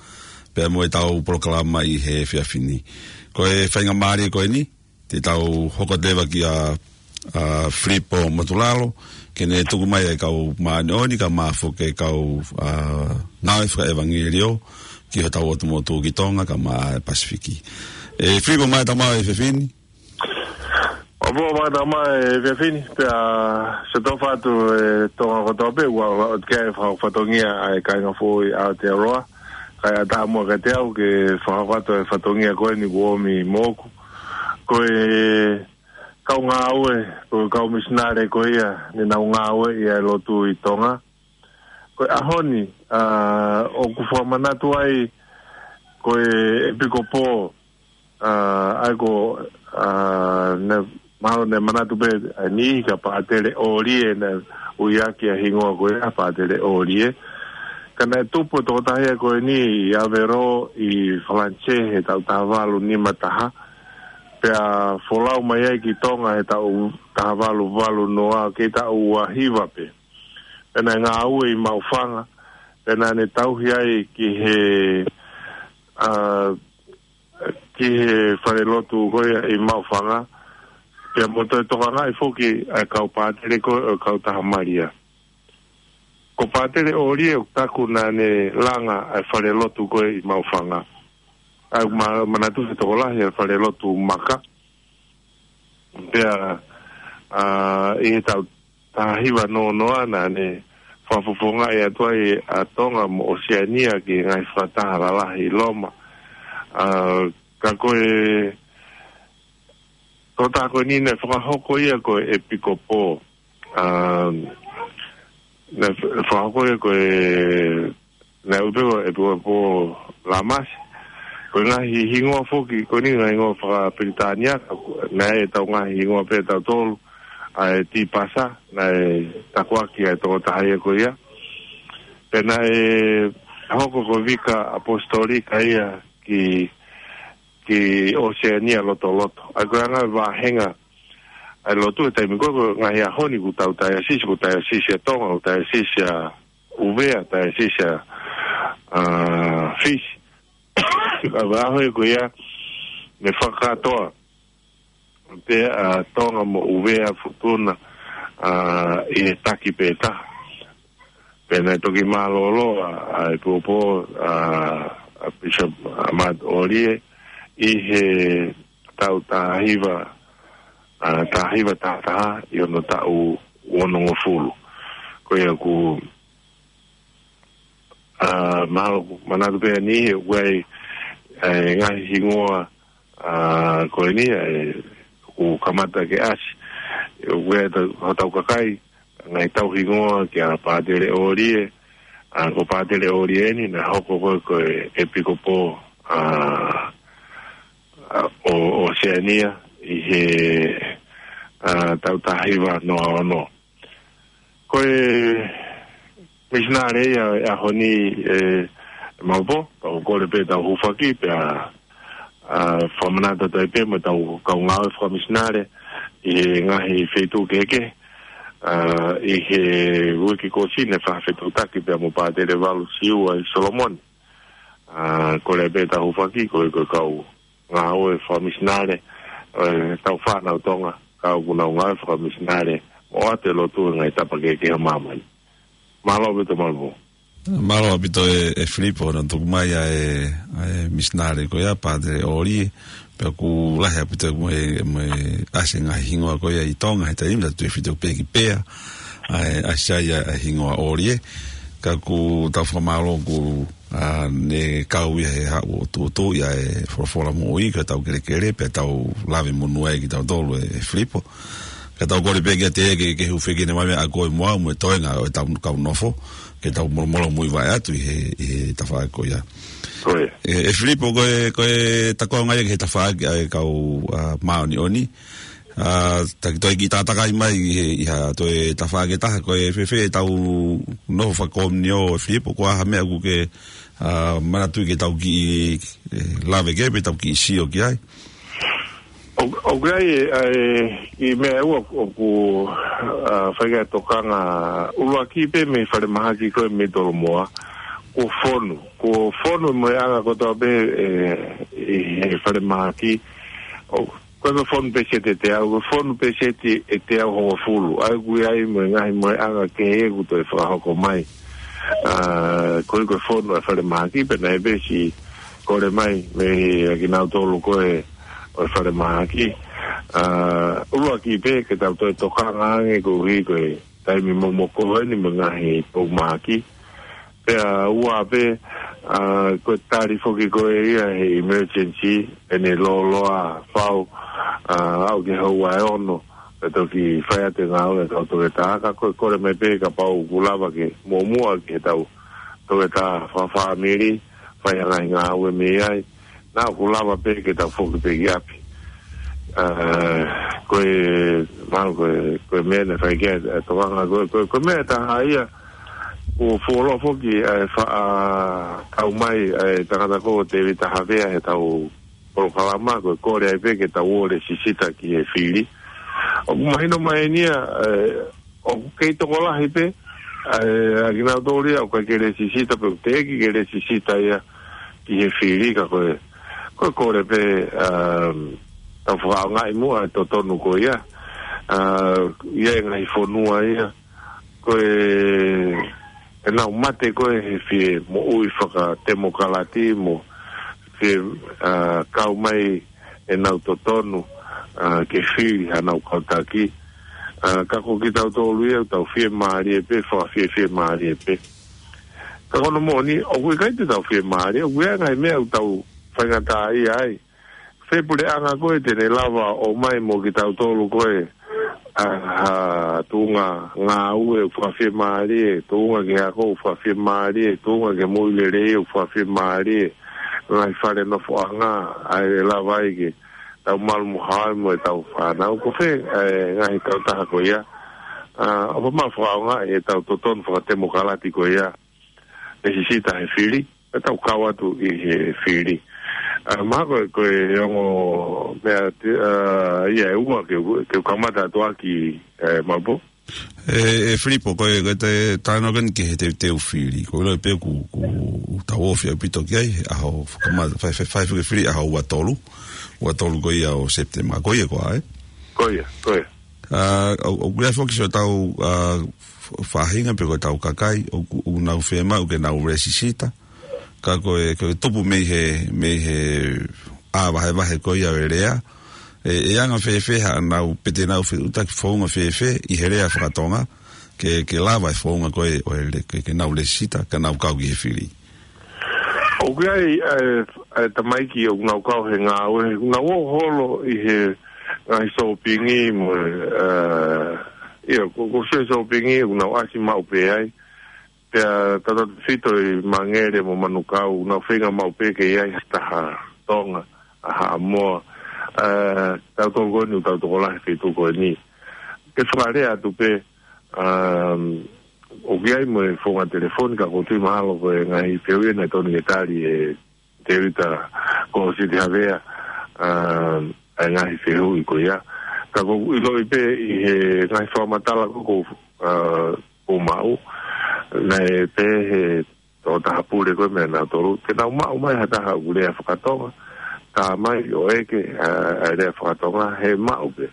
pea mo ʻetau polokalama ʻi he efiafi ni. Ko e faingamālie ko eni, te tau hoko atu leva kia, ʻa, Filipo Motulalo, ke ne tuku mai e kau māʻoniʻoni, kae ʻumaʻā foki e kau, ʻa, ngāue fakaʻevangeliō, ki hotau ʻotu motu ki Tonga, kae ʻumaʻā e Pasifiki. ʻE Filipo, mālō e tau maʻu e efiafi ni. ʻOku mālō e tau maʻu e efiafi ni, pea sio tō fatu e Tonga kotoa pē, ʻoku ʻoatu ki ai e fa-, fatongia ʻa e kāinga foʻou ʻi Aotearoa, kae ʻatā muʻa kiate au ke fakafatu e fatongia ko eni kuo ʻomi moʻoku. Ko e kau ngāue, ko e kau misinale ko ia, ne nau ngāueʻi ʻa e lotu ʻi Tonga. Ko e ʻaho ni, ʻa, ʻoku fakamanatu ai, ko e ʻEpikopō, ʻa, ʻa ia ko, ʻa, ne, mahalo ne manatu pē ʻa e niʻihi kia Pātele ʻOlie, ne ui ʻaki ʻa e hingoa ko ia Pātele ʻOlie. Ka naʻe tupu e tokotaha ia ko eni ʻi Aveyron ʻi Falanisē he taʻu taha valu nima taha. Pea folau mai ai ki Tonga he taʻu taha valu valu noa, kei taʻu ua hiva pē. Pea naʻe ngāue ʻi Maʻufanga, pea naʻa ne tauhi ai ki he, ʻa, ki he falelotu ko ia ʻi Maʻufanga, pea mo toe tokangaʻi foki ʻa e kau pātele ko ē ʻo e Kautaha Malia. Ko Pātele ʻOlie ʻoku taku naʻa ne langa ʻa e falelotu ko ē ʻi Maʻufanga. ʻA ia ma-, manatu he tokolahi ʻa e falelotu maka. Pea, ʻa, ʻi he taʻu taha hiva noa noa naʻa ne fakafofongaʻi atu ai ʻa Tonga mo ʻOseania ki he ngaahi fakataha lalahi ʻi Loma. ʻA, ka ko e, ko e tokotaha ko eni naʻe fakahoko ia ko e ʻEpikopō. ʻA, naʻe f-, fakahoko ia ko e, naʻe ui pē ko e ʻEpikopō Lamasi. Ko e ngaahi hingoa foki, ko eni ngaahi hingoa faka-Pilitānia, naʻe ʻetau ngaahi hingoa pē ʻe tautolu, ʻa e Tipasa, naʻe takuaki ʻa e tokotaha ia ko ia. Pea naʻe hoko ko e vika ʻaposetolika ia ki ki ʻOseania lotoloto. ʻA ia ko e anga e vāhenga ʻa e lotu he taimi ko ē, ko e ngaahi ʻaho ni kuo tau taiasisi, kuo taiasisi ʻa Tonga, kuo taiasisi ʻa ʻUvea, taiasisi ʻa, ʻa Fisi. ʻA e ʻaho ko ia, ne fakakātoa pē ʻa Tonga mo ʻUvea, Futuna, ʻa, ʻi he taki pē taha. Pea naʻe toki mālōlō ʻa, ʻa e pōpō, ʻa, ʻa Bishop, ʻa, Matt ʻOlie, ʻi he taʻu taha hiva, ʻa, taha hiva taha taha, ʻi hono taʻu onongofulu. Ko ia ʻoku, ʻa, mahalo ʻoku manatu pē ʻeni he ʻoku ʻi ai, ʻa e ngaahi hingoa, ʻa, ko eni, ʻa e, ʻoku kamata ke ʻasi. ʻOku ʻi ai ʻetau, hotau kakai, ngaahi tauhingoa kia Pātele ʻOlie, ʻa, ko Pātele ʻOlie ʻeni, naʻe hoko ko e, ko e ʻepikopō, ʻa, ʻa, ʻo, ʻOseania ʻi he, ʻa, taʻu taha hiva noa ono. Ko e misinale ia ʻo e ʻaho ni, ʻe, Maopo, tau kole pē tau hūfaki, pea, ʻa, fakamanatu atu ai pē mo ʻetau kau ngāue fakamisinale ʻi he ngaahi feituʻu kehekehe, ʻa, ʻi he uike kuo ʻosi ne fakafetuʻutaki pea mo Pātele Valu Siua ʻi Solomoni. ʻA, kole pē tau hūfaki, ko e, ko e kau ngāue fakamisinale, ʻe, tau fānau Tonga, kau ʻoku nau ngāue fakamisinale, ʻo ʻoatu e lotu he ngaahi tapa kehekehe ʻo māmani. Mālō pē Tōmalu. Mālō ʻaupito ʻe, ʻe Filipo, hono tuku mai ʻa e, ʻa e misinale ko ia, Pātele ʻOlie, pea ʻoku lahi ʻaupito mo e, mo e ʻasi e ngaahi hingoa ko ia ʻi Tonga, he taimi tatau ʻe fitu pē ki pea, ʻa e, ʻasi ai ʻa e hingoa ʻOlie, ka ʻoku tau fakamālō ʻoku ʻa, ne kau ia he haʻu ʻo tuʻutuʻu ia e folofola moʻui, ka tau kelekele, pea tau lave monū ai kitautolu ʻe, ʻe Filipo. Ka tau kole pē kiate ia ke, ke hūfekina mai meʻa ko e moʻui mo e toenga ʻo ʻetau kau nofo, ke tau molomolo muivaʻe atu ʻi he, ʻi he tafaʻaki ko ia. Ko ia. ʻE, ʻe Filipo, ko e, ko e takoʻanga ia ki he tafaʻaki ʻa e kau, ʻa, māʻoniʻoni. ʻA, taki toe kiʻi tātakai mai ʻi he, ʻi ha toe tafaʻaki ʻe taha, ko e fēfē ʻetau nofo fakakomiunio ʻe Filipo, ko e hā ha meʻa ʻoku ke, ʻa, manatuʻi ke tau kiʻi, ʻe, lave ki ai pe tau kiʻi sio ki ai. ʻO, ʻoku ʻi ai, ʻa e, ʻi meʻa ʻe ua ʻoku, ʻa, fai ki ai e tokanga ʻuluaki pē mei falemahaki ko ē mei Tolomoa, kuo fonu, kuo fonu mo e anga kotoa pē, ʻe, ʻi he falemahaki, ʻo, ko e fonu pēseti ʻe teau, ko e fonu pēseti ʻe teau hongofulu. ʻA ia ʻoku ʻi ai mo e ngaahi mo e anga kehe ʻoku toe fakahoko mai. ʻA, ko e, ko e fonu ʻa e falemahaki, pea naʻe pē siʻi kole mai mei he kinautolu ko ē ʻo e falemahaki. ʻA, ʻuluaki pē ke tau toe tokanga ange koeʻuhi ko e taimi momoko ʻeni mo e ngaahi pou mahaki. Pea ua pē, ʻa, ko e tali foki ko ē ia he emergency, ʻene lōloa fau, ʻa, aʻu ki he houa ʻe ono, pea toki fai atu e ngāue ʻa e kau toketā, ka ko e kole mai pē kapau ʻoku lava ke muʻomuʻa ki heʻetau toketā fakafāmili, fai ha ngaahi ngāue mei ai, naʻa ʻoku lava pē ke tau foki pē ki ʻapi. ʻA, ko e, mahalo ko e, ko e meʻa naʻe fai ki ai e tokanga, ko e, ko e, ko e meʻa ʻe taha ia, kuo fuoloa foki ʻa e faʻa kau mai ʻa e tangata ko Tēvita Havea heʻetau polokalama, ko e kole ai pē ke tau ō ʻo lēsisita ki he fili. ʻOku mahino mai eni ia, ʻe, ʻoku kei tokolahi pē, ʻa e, ʻa kinautolu ia ʻoku ʻikai ke lēsisita pe ʻoku teʻeki ke lēsisita ia ki he fili, ka ko e, ko e kole pē, um, tau fakaʻaongaʻi muʻa e totonu ko ia. ʻA, ʻi he ngaahi fonua ia, ko e, ʻenau mate ko ē he fie moʻui fakatemokalati mo fie, ʻa, kau mai ʻenau totonu, ʻa, ke fili hanau kau taki. ʻA, ka ko kitautolu ia, tau fiemālie pē, fakafiefiemālie pē. Ka ko hono moʻoni, ʻoku ʻikai te tau fiemālie, ʻoku ʻi ai e ngaahi meʻa ʻoku tau faingataʻaʻia ai. Fē puleʻanga ko ē te ne lava ʻo ʻomai mo kitautolu ko ē, ʻa, ha tuʻunga ngāue ʻoku fakafiemālie, tuʻunga kehe ako ʻoku fakafiemālie, tuʻunga kehe moʻui lelei ʻoku fakafiemālie, ngaahi fale nofoʻanga, ʻa ia ʻe lava ai ke tau malu mo haohaoa mo ʻetau fānau. Ko fē, ʻa e ngaahi kautaha ko ia, ʻa, ʻoku mau fakaʻaongaʻi ʻetau totonu fakatemokalati ko ia, lēsisita he fili, pea tau kau atu ʻi he fili. ʻA, mahalo ko e, ko e ongo meʻa te, ʻa, ia ʻe ua ke, ke kamata atu ʻaki, ʻe, Mapu. ʻE, ʻe Filipo, ko e, ko e te, talanoa ko eni ki he teuteu fili. Ko e ʻilo pē ʻoku, ʻoku tau ofi ʻaupito ki ai, ʻaho fakamata, fai, fai, fai fili ʻaho ua tolu. Ua tolu ko ia ʻo Sepitema. Ko ia ko ā, ē? Ko ia, ko ia. ʻA, ʻo, ʻoku ʻi ai foki siʻotau, ʻa, f-, faʻahinga pe ko ʻetau kakai, ʻoku, ʻoku nau fiemaʻu ke nau lēsisita. Ka ko e, ko e tupu mei he, mei he ʻā vahevahe ko ia ʻo e lea. ʻE, ʻe anga fēfē haʻanau pe te nau fetuʻutaki founga fēfē ʻi he lea fakatonga, ke, ke lava e founga ko ē ʻo e le-, ke, ke nau lēsisita, ka nau kau ki he fili. ʻOku ʻi ai, ʻe, ʻe tamaiki ʻoku nau kau he ngāue, ʻoku nau ō holo ʻi he ngaahi sōpingi mo, ʻe, ia, ko, ko e sōpingi, ʻoku nau ʻasi maʻu pē ai. Pea tautautefito ʻi Mangere mo Manukau, nau feinga maʻu pē ke ʻi ai ha taha Tonga, ʻa Haʻamoa, ʻe, tautolu ko eni, tautolu ko ē he feituʻu ko eni. Ke fakalea atu pē, um, ʻoku ʻi ai mo e founga telefoni, ka ʻoku ou tui mahalo ko e ngaahi fehuʻi ena ʻe totonu ke tali ʻe Tēvita ko Siti Havea, um, ʻa e ngaahi fehuʻi ko ia. Ka ʻoku ou ʻiloʻi pē ʻi he ngaahi fakamatala ko ē ʻoku, ʻa, ʻoku maʻu, naʻe pehē ʻe he tokotaha pule ko ē meiate kinautolu, ke nau maʻu mai ha taha ʻoku lea fakatonga, tā mai ʻo ʻeke, ʻa, ʻa e lea fakatonga, he maʻu pē.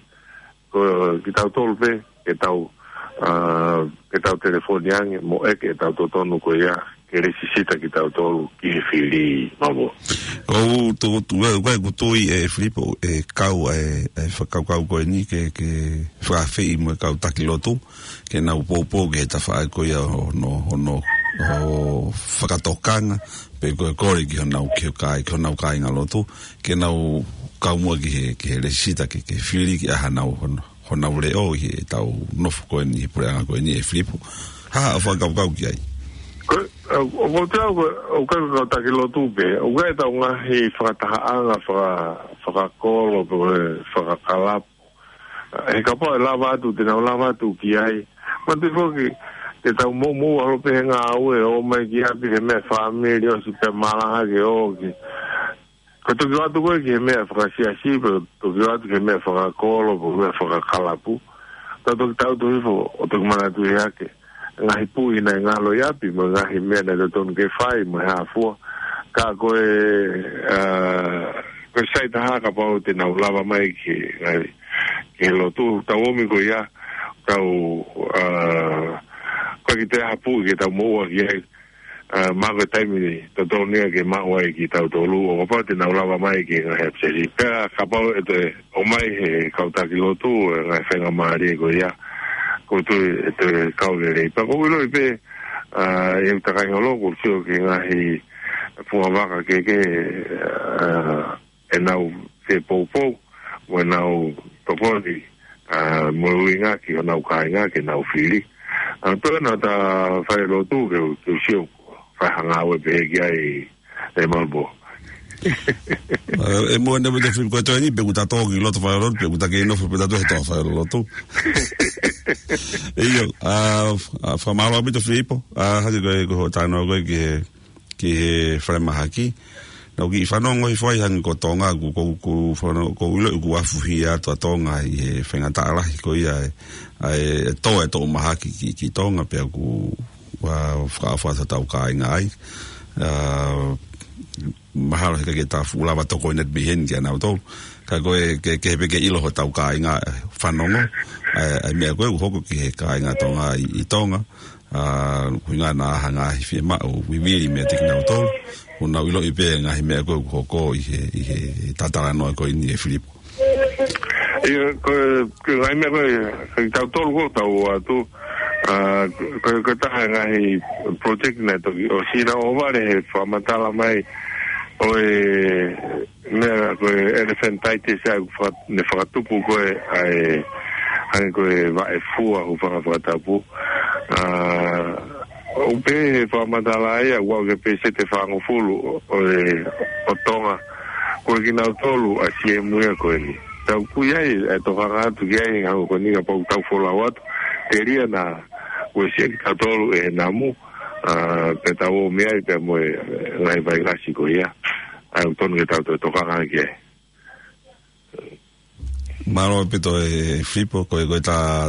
Ko kitautolu pē, ke tau, ʻa, ke tau telefoni ange, mo ʻeke ʻetau totonu ko ia, ke lēsisita kitautolu ki he fili, Mapu. ʻOku ou tui, ʻoku ou tui ʻe Filipo, ʻe kau ʻa e, ʻa e fakakaukau ko eni ke, ke fakaafeʻi mo e kau taki lotu, ke nau poupou ki he tafaʻaki ko ia hono, hono, ʻo fakatokanga, pe ko e kole ki honau, ki he kāi-, ki honau kāinga lotu, ke nau kau muʻa ki he, ki he lēsisita ke, ke fili ki ai hanau, hono, honau leʻo ʻi heʻetau nofo ko eni, he puleʻanga ko eni, ʻe Filipo. Hā haʻo fakakaukau ki ai? Ko, ʻo, ʻo, ko te au, ko, ʻoku ʻikai ko e kau taki lotu pē, ʻoku ʻi ai ʻetau ngaahi fakatahaʻanga faka-, fakakolo, pe ko e fakakalapu. He kapau ʻe lava atu, te nau lava atu ki ai. Manatuʻi foki, te tau moʻumoʻua holo pē he ngāue, ō mai ki ʻapi he meʻa fāmili, ʻosi pē malaha ke ō ki. Ko e toki ō atu ko ē ki he meʻa fakasiasi, pe toki ō atu ki he meʻa fakakolo, pe meʻa fakakalapu. Tau toki tau tohi fo, ʻo toki manatuʻi hake. Ngaahi puʻi naʻe ngalo ʻi ʻapi, mo e ngaahi meʻa naʻe totonu ke fai, mo e hā fua. Ka ko e, ʻa, ko e sai taha kapau te nau lava mai ki he ngaahi, ki he lotu, tau ō mai ko ia, tau, ʻa, ko e kiʻi taha puʻi ke tau moʻua ki ai, ʻa, mahalo ko e taimi totonu ia ke maʻu ai kitautolu, ʻo kapau te nau lava mai ki he ngaahi ʻapisesi. Pea kapau ʻe toe ʻomai he kau taki lotu, ʻa e ngaahi faingamālie ko ia, ʻoku ou tui ʻe toe kau lelei. Pea ʻoku ou ʻiloʻi pē, ʻa, ʻe ʻuta kai holo, ʻoku ou sio ki he ngaahi fungavaka kehekehe, ʻa, ʻenau fepoupou, mo ʻenau tokoni, ʻa, mo e ʻuhinga ki honau kāinga ke nau fili. ʻA, pea naʻa ta fai lotu ke, ke sio, fai ha ngāue pē ki ai ʻe Mapu. ʻE, ʻe mo ne mo te Filipo ko e toe ni, pe ʻoku ta tō ki loto fai lotu, pe ʻoku ta kei nofo pē ta toe he tō fai lotu. ʻIo, ʻa, ʻa, fakamālō ʻaupito Filipo, ʻa, hake ko e, ko hoʻo talanoa ko ē ki he ki he falemahaki. Naʻa ku kiʻi fanongo hifo ai hangē ko Tonga, ʻoku, ʻoku, ʻoku fanongo, ʻoku ou ʻilo ʻoku afuhi atu ʻa Tonga ʻi he faingataʻa lahi ko ia ʻe, ʻa e, ʻe tō e toʻu mahaki ki, ki Tonga pea ʻoku, ʻa, fakaʻofa ʻa hotau kāinga ai. ʻA, mahalo he ʻikai ke ta fuʻu lava tokoni atu mei heni kia nautolu. Ka ko e, ke, ke pē ke ʻilo hotau kāinga, ʻe, fanongo, ʻa e, ʻa e meʻa ko ē ʻoku hoko ki he kāinga Tonga ʻi, ʻi Tonga. ʻA, ʻuhinga naʻa hanga ʻe he fiemaʻu, vivili meiate kinautolu. ʻOku nau ʻiloʻi pē ngaahi meʻa ko ē ʻoku hoko ʻi he, ʻi he talanoa ko eni ʻe Filipo. ʻIo, ko, ko e ngaahi meʻa ko ē, ko kitautolu ʻoku tau ō atu, ʻa, ko, ko e taha ngaahi project naʻe toki ʻosi naʻa ku ʻohovale he fakamatala mai ʻo e meʻa ko e elephantiasis ʻa e faka-, ne fakatupu ko ē ʻa e, ʻa e ko e vaʻe fua ʻoku faka-, fakatapu. ʻA, ʻoku pehē he fakamatala ia, ʻoku ʻi ai e pēseti ʻe fāngofulu ʻo, ʻo e, ʻo Tonga. Ko kinautolu ʻa e siemu ia ko eni. Tau kui ai, ʻe tokanga atu ki ai, hangē ko eni kapau tau folau atu. Telia naʻa, ko e siʻaki kitautolu ʻe namu, ʻa, pea tau ō mei ai pea mo e, ngaahi vailasi ko ia. ʻoku totonu ke tau toe tokanga ki ai. Mālō ʻaupito ʻe Filipo, ko e, ko e ta,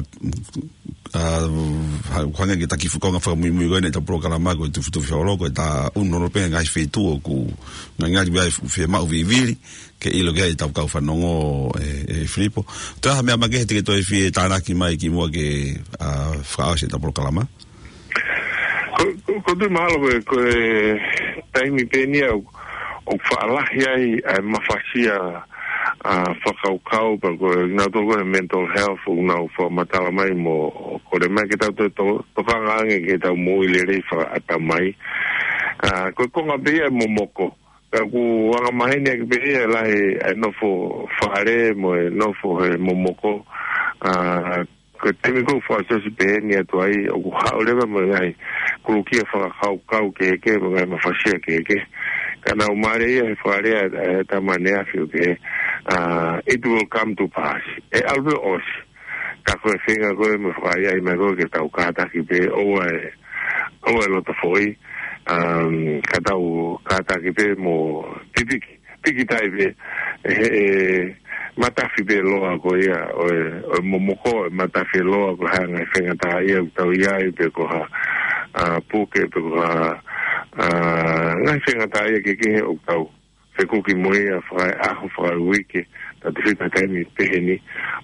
ʻa, ha-, hangē ko e ta kiʻi foʻi konga fakamuimui ko eni ʻetau polokalama ko e Tufitufi Holo, ko e ta ʻunu holo pē ngaahi feituʻu ʻoku ngali ngali ʻoku fiemaʻu vivili ke ʻilo ki ai ʻetau kau fanongo ʻe, ʻe Filipo. Toe ha meʻa makehe te ke toe fie tānaki mai kimuʻa ke, ʻa, fakaʻosi ʻetau polokalama? Ko, ko, ko e tui mahalo ko e, ko e taimi pē eni ia ʻoku, ʻoku faʻa lahi ai ʻa e mafasia, ʻa, fakakaukau pea ko e, naʻa tau ko e mental health ʻoku nau fakamatala mai mo kole mai ke tau to, to, tokanga ange ke tau moʻui lelei fakaʻatamai. ʻA, ko e konga pē ia ʻa e momoko. Ka ʻoku angamaheni ʻaki pē ia ʻa e lahi ʻa e nofo fale mo e nofo he momoko. ʻA, ko e taimi ko ē ʻoku fakaʻosiʻosi pehē ni atu ai, ʻoku haʻu leva mo e ngaahi kulukia fakakaukau kehekehe, mo e ngaahi mafasia kehekehe. Ka naʻa ku mālieʻia he fakalea ʻa e tama ʻaneafi ʻo pehē, ʻa, it will come to pass. ʻE ʻalu pē ʻo ʻosi. Ka ko e feinga ko ē mo e fakaʻaiʻai mai ko ē ke tau kātaki pē, ʻoua ʻe, ʻoua ʻe loto foʻi, um, ka tau kātaki pē mo pipiki. Piki tai pē, ʻe, ʻe, matafi pē loa ko ia, ʻo e, ʻo e momoko, ʻe matafi loa ko e hā e ngaahi faingataʻaʻia ʻoku tau ʻi ai, pe ko ha, ʻa, puke, pe ko ha, ʻa, ngaahi faingataʻaʻia kehekehe ʻoku tau fekuki mo ia fakaʻaho, fakauike, tautefito he taimi pehē ni,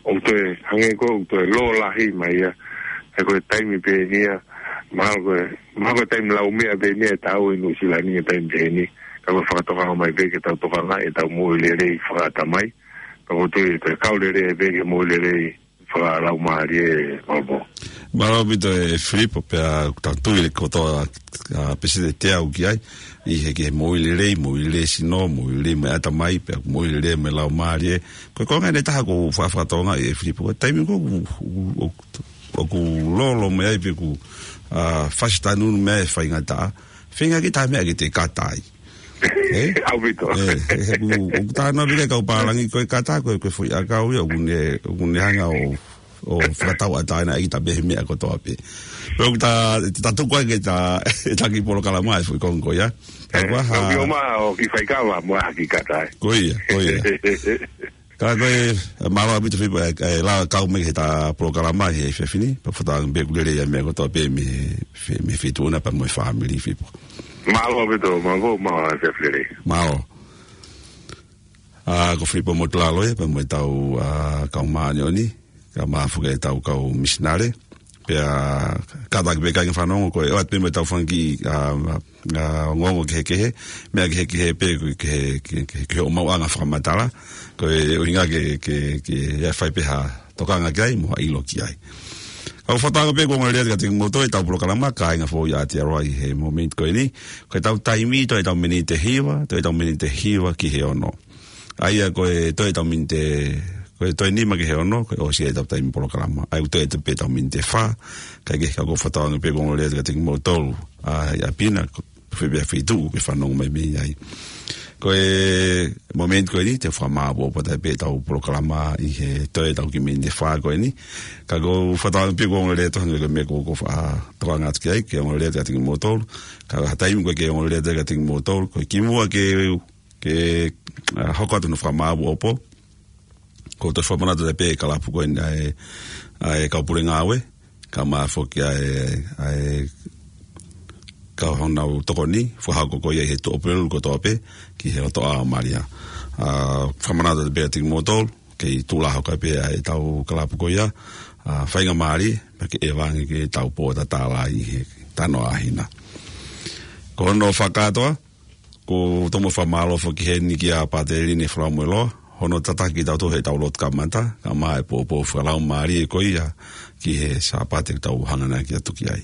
ʻoku toe, hangē ko ē, ʻoku toe lōlahi mai ia, he ko e taimi pē eni ia, mahalo ko e, mahalo ko e taimi laumeʻa pē eni ia ʻe taau ʻi Nuʻusila ni he taimi pē eni, ka ko e fakatokanga mai pē ke tau tokanga ʻetau moʻui lelei fakaʻatamai, ka ko e tui ʻe toe kau lelei pē ke moʻui lelei fakalaumālie, Malvo. Mālō ʻaupito ʻe Filipo, pea ʻoku tau tui ʻe kotoa, ʻa, Peseti ʻe teau ki ai, ʻi he, ki he moʻui lelei, moʻui lelei sino, moʻui lelei mo e ʻatamai, pea moʻui lelei mo e laumālie. Ko e konga eni ʻe taha ʻoku ou fakafakatonga ʻe Filipo, ko e taimi ko ē ʻoku, ʻoku, ʻoku, ʻoku lolo mai ai pe ʻoku, ʻa, fasitanunu mai e faingataʻa. Feinga ke tā meʻa ke te kata ai. ʻE? ʻAupito. ʻE, ʻe, ʻoku, ʻoku tā noa pē kau pālangi ko e kata, ko e, ko e foʻi ʻakau ia, ʻoku ne, ʻoku ne hanga ʻo, ʻo fakatauʻatāinaʻi kita pē he meʻa kotoa pē. Pea ʻoku ta, ta tuku ai ke ta, ta kiʻi polokalama ʻe foʻi konga ko ia. Ka ʻoku ʻa ha. ʻOku ʻomai ʻo kiʻi faikava, mo ha kiʻi kata ai. Ko ia, ko ia. Ka ko e, mālō ʻaupito Filipo, ʻe, ʻe lava kau mai ki heʻeta polokalama he efiafi ni, pea fakatauange pē ʻoku lelei ʻa e meʻa kotoa pē mei he, fe-, mei he feituʻu na pea mo e fāmili Filipo. Mālō ʻaupito, mālō, mālō, efiafi lelei. Mālō. ʻA, ko Filipo Motulalo ia, pea mo ʻetau, ʻa, kau māʻoniʻoni, kae ʻumaʻā foki ʻetau kau misinale. Pea kātaki pē kāinga fanongo ko e ʻoatu pē mo ʻetau fanga kiʻi, ʻa, ʻa, ongoongo kehekehe, meʻa kehekehe pē ke, ke, ke, ke ʻomai ʻa e fakamatala, ko e ʻuhinga ke, ke, ke ʻe fai pē ha tokanga ki ai, mo ha ʻilo ki ai. Kau fakatauange pē kuo ongo lelei atu kiate kimoutolu ʻetau polokalama, kāinga foʻou ʻi Aotearoa ʻi he momeniti ko eni, ko ʻetau taimi toe ʻetau miniti ʻe hiva, toe ʻetau miniti ʻe hiva ki he ono. ʻA ia ko e toe ʻetau miniti, ko e toe nima ki he ono, ko e ʻosi ʻetau taimi polokalama. ʻA ia ʻoku toe ʻetau pē ʻetau miniti ʻe fā, kae kehe ka ʻoku ou fakatauange pē kuo ongo lelei atu kiate kimoutolu, ʻa, ʻi ʻapi na, ko e fē pē ha feituʻu ʻoku ke fanongo mai mei ai. Ko e momeniti ko eni, te u fakamāʻopoʻopo atu pē ʻetau polokalama ʻi he toe ʻetau kiʻi miniti ʻe fā ko eni. Ka ʻoku ou fakatauange pē kuo ongo lelei atu hangē ko e meʻa ko ē ʻoku ou fa-, tokanga atu ki ai, ke ongo lelei atu kiate kimoutolu. Ka ʻi ha taimi ʻoku ʻikai ke ongo lelei atu kiate kimoutolu, ko e kimuʻa ke ke, ʻa, hoko atu hono fakamāʻopoʻopo. ʻOku ou toe fakamanatu atu pē e kalapu ko eni ʻa e, ʻa e kau pule ngāue, kae ʻumaʻā foki ʻa e, ʻa e kau hanau tokoni, fakahoko ko ia ʻi he Tuʻapulelulu kotoa pē, ki he Lotoʻā ʻo Malia. ʻA, fakamanatu atu pē kiate kimoutolu, kei tuʻu lā hoko pē ʻa ʻetau kalapu ko ia, ʻa, faingamālie, pea ke ʻevange ke tau pōtatala ʻi he tanoa ʻa hina. Ko hono fakakātoa, ʻoku ou tomuʻa fakamālō foki heni kia Pātele Line Falamoeloa, hono tataki kitautolu heʻetau lotu kamata, kae ʻumaʻā e poupou fakalaumālie ko ia ki he Sāpate ʻoku tau hanganaki atu ki ai.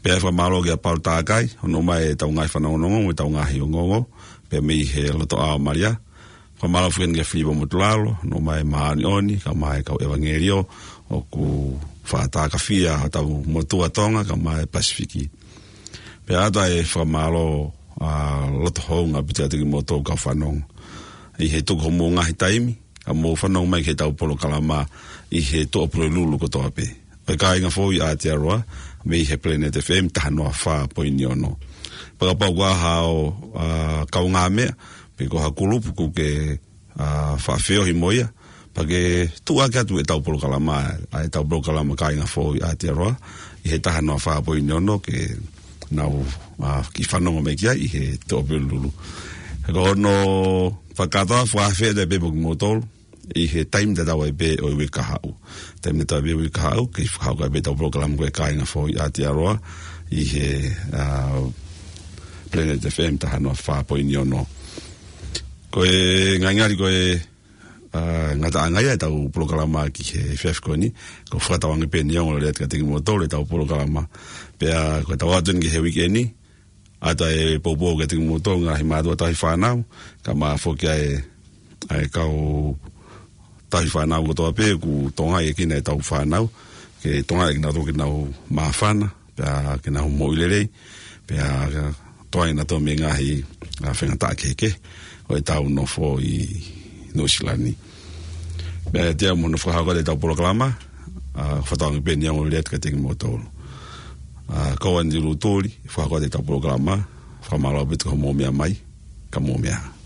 Pea fakamālō kia Paula Takai, hono ʻomai ʻetau ngaahi fanongonongo, mo ʻetau ngaahi ongoongo, pea mei he Lotoʻā ʻo Malia. Fakamālō foki heni kia Filipo Motulalo, hono ʻomai e māʻoniʻoni, kae ʻumaʻā e kau ʻevangeliō, ʻoku fakatātā kafia hotau motuʻa Tonga, kae ʻumaʻā e Pasifiki. Pea ʻoatu ʻa e fakamālō, ʻa, loto houngaʻia ʻaupito kiate kimoutolu kau fanongo. ʻI he tuku homou ngaahi taimi, kae mou fanongo mai ki heʻetau polokalama ʻi he Tuʻapulelulu kotoa pē. ʻA e kāinga foʻou ʻi Aotearoa, mei he Planet F M taha noa fā poini ono. Pea kapau ʻoku ʻi ai haʻo, ʻa, kaungāmeʻa, pe ko ha kulupu ʻoku ke, ʻa, faʻa feohi mo ia, pea ke tuʻuaki atu ʻetau polokalama, ʻa ʻetau polokalama Kāinga Foʻou ʻi Aotearoa, ʻi he taha noa fā poini ono, ke nau, ʻa, kiʻi fanongo mai ki ai ʻi he Tuʻapulelulu. Ko hono fakakātoa, fakaafeʻi atu pē mo kimoutolu, ʻi he taimi tatau ai pē ʻo e uike kahaʻu. Taimi tatau ai pē uike kahaʻu, ke fakahoko ai pē ʻetau polokalama ko e Kāinga Foʻou ʻi Aotearoa, ʻi he, ʻa, Planet F M taha noa fā poini ono. Ko e ngalingali ko e, ʻa, ngataʻanga ia ʻetau polokalama ki he efiafi ko eni, ko e fakatauange pē ʻeni ʻoku lelei atu kiate kimoutolu ʻetau polokalama. Pea ko ʻetau ʻoatu eni ki he uike ni, ʻoatu e poupou kiate kimoutolu ngaahi mātuʻa tauhi fānau, kae ʻumaʻā foki ʻa e, ʻa e kau tauhi fānau kotoa pē ʻoku tokangaʻi ʻe kinautolu ʻetau fānau, ke tokangaʻi ʻe kinautolu ke nau māfana, pea ke nau moʻui lelei, pea tokangaʻi kinautolu mei he ngaahi, ʻa, faingataʻa kehekehe ʻo ʻetau nofo ʻi Nuʻusila ni. Pea ʻiate au mo hono fakahoko atu ʻetau polokalama, ʻa, fakatauange pē ʻeni ʻoku lelei atu kiate kimoutolu. ʻA, ko au Andy Lutuli, fakahoko atu ʻetau polokalama, fakamālō ʻaupito hoʻomou meʻa mai, ka mou meʻa.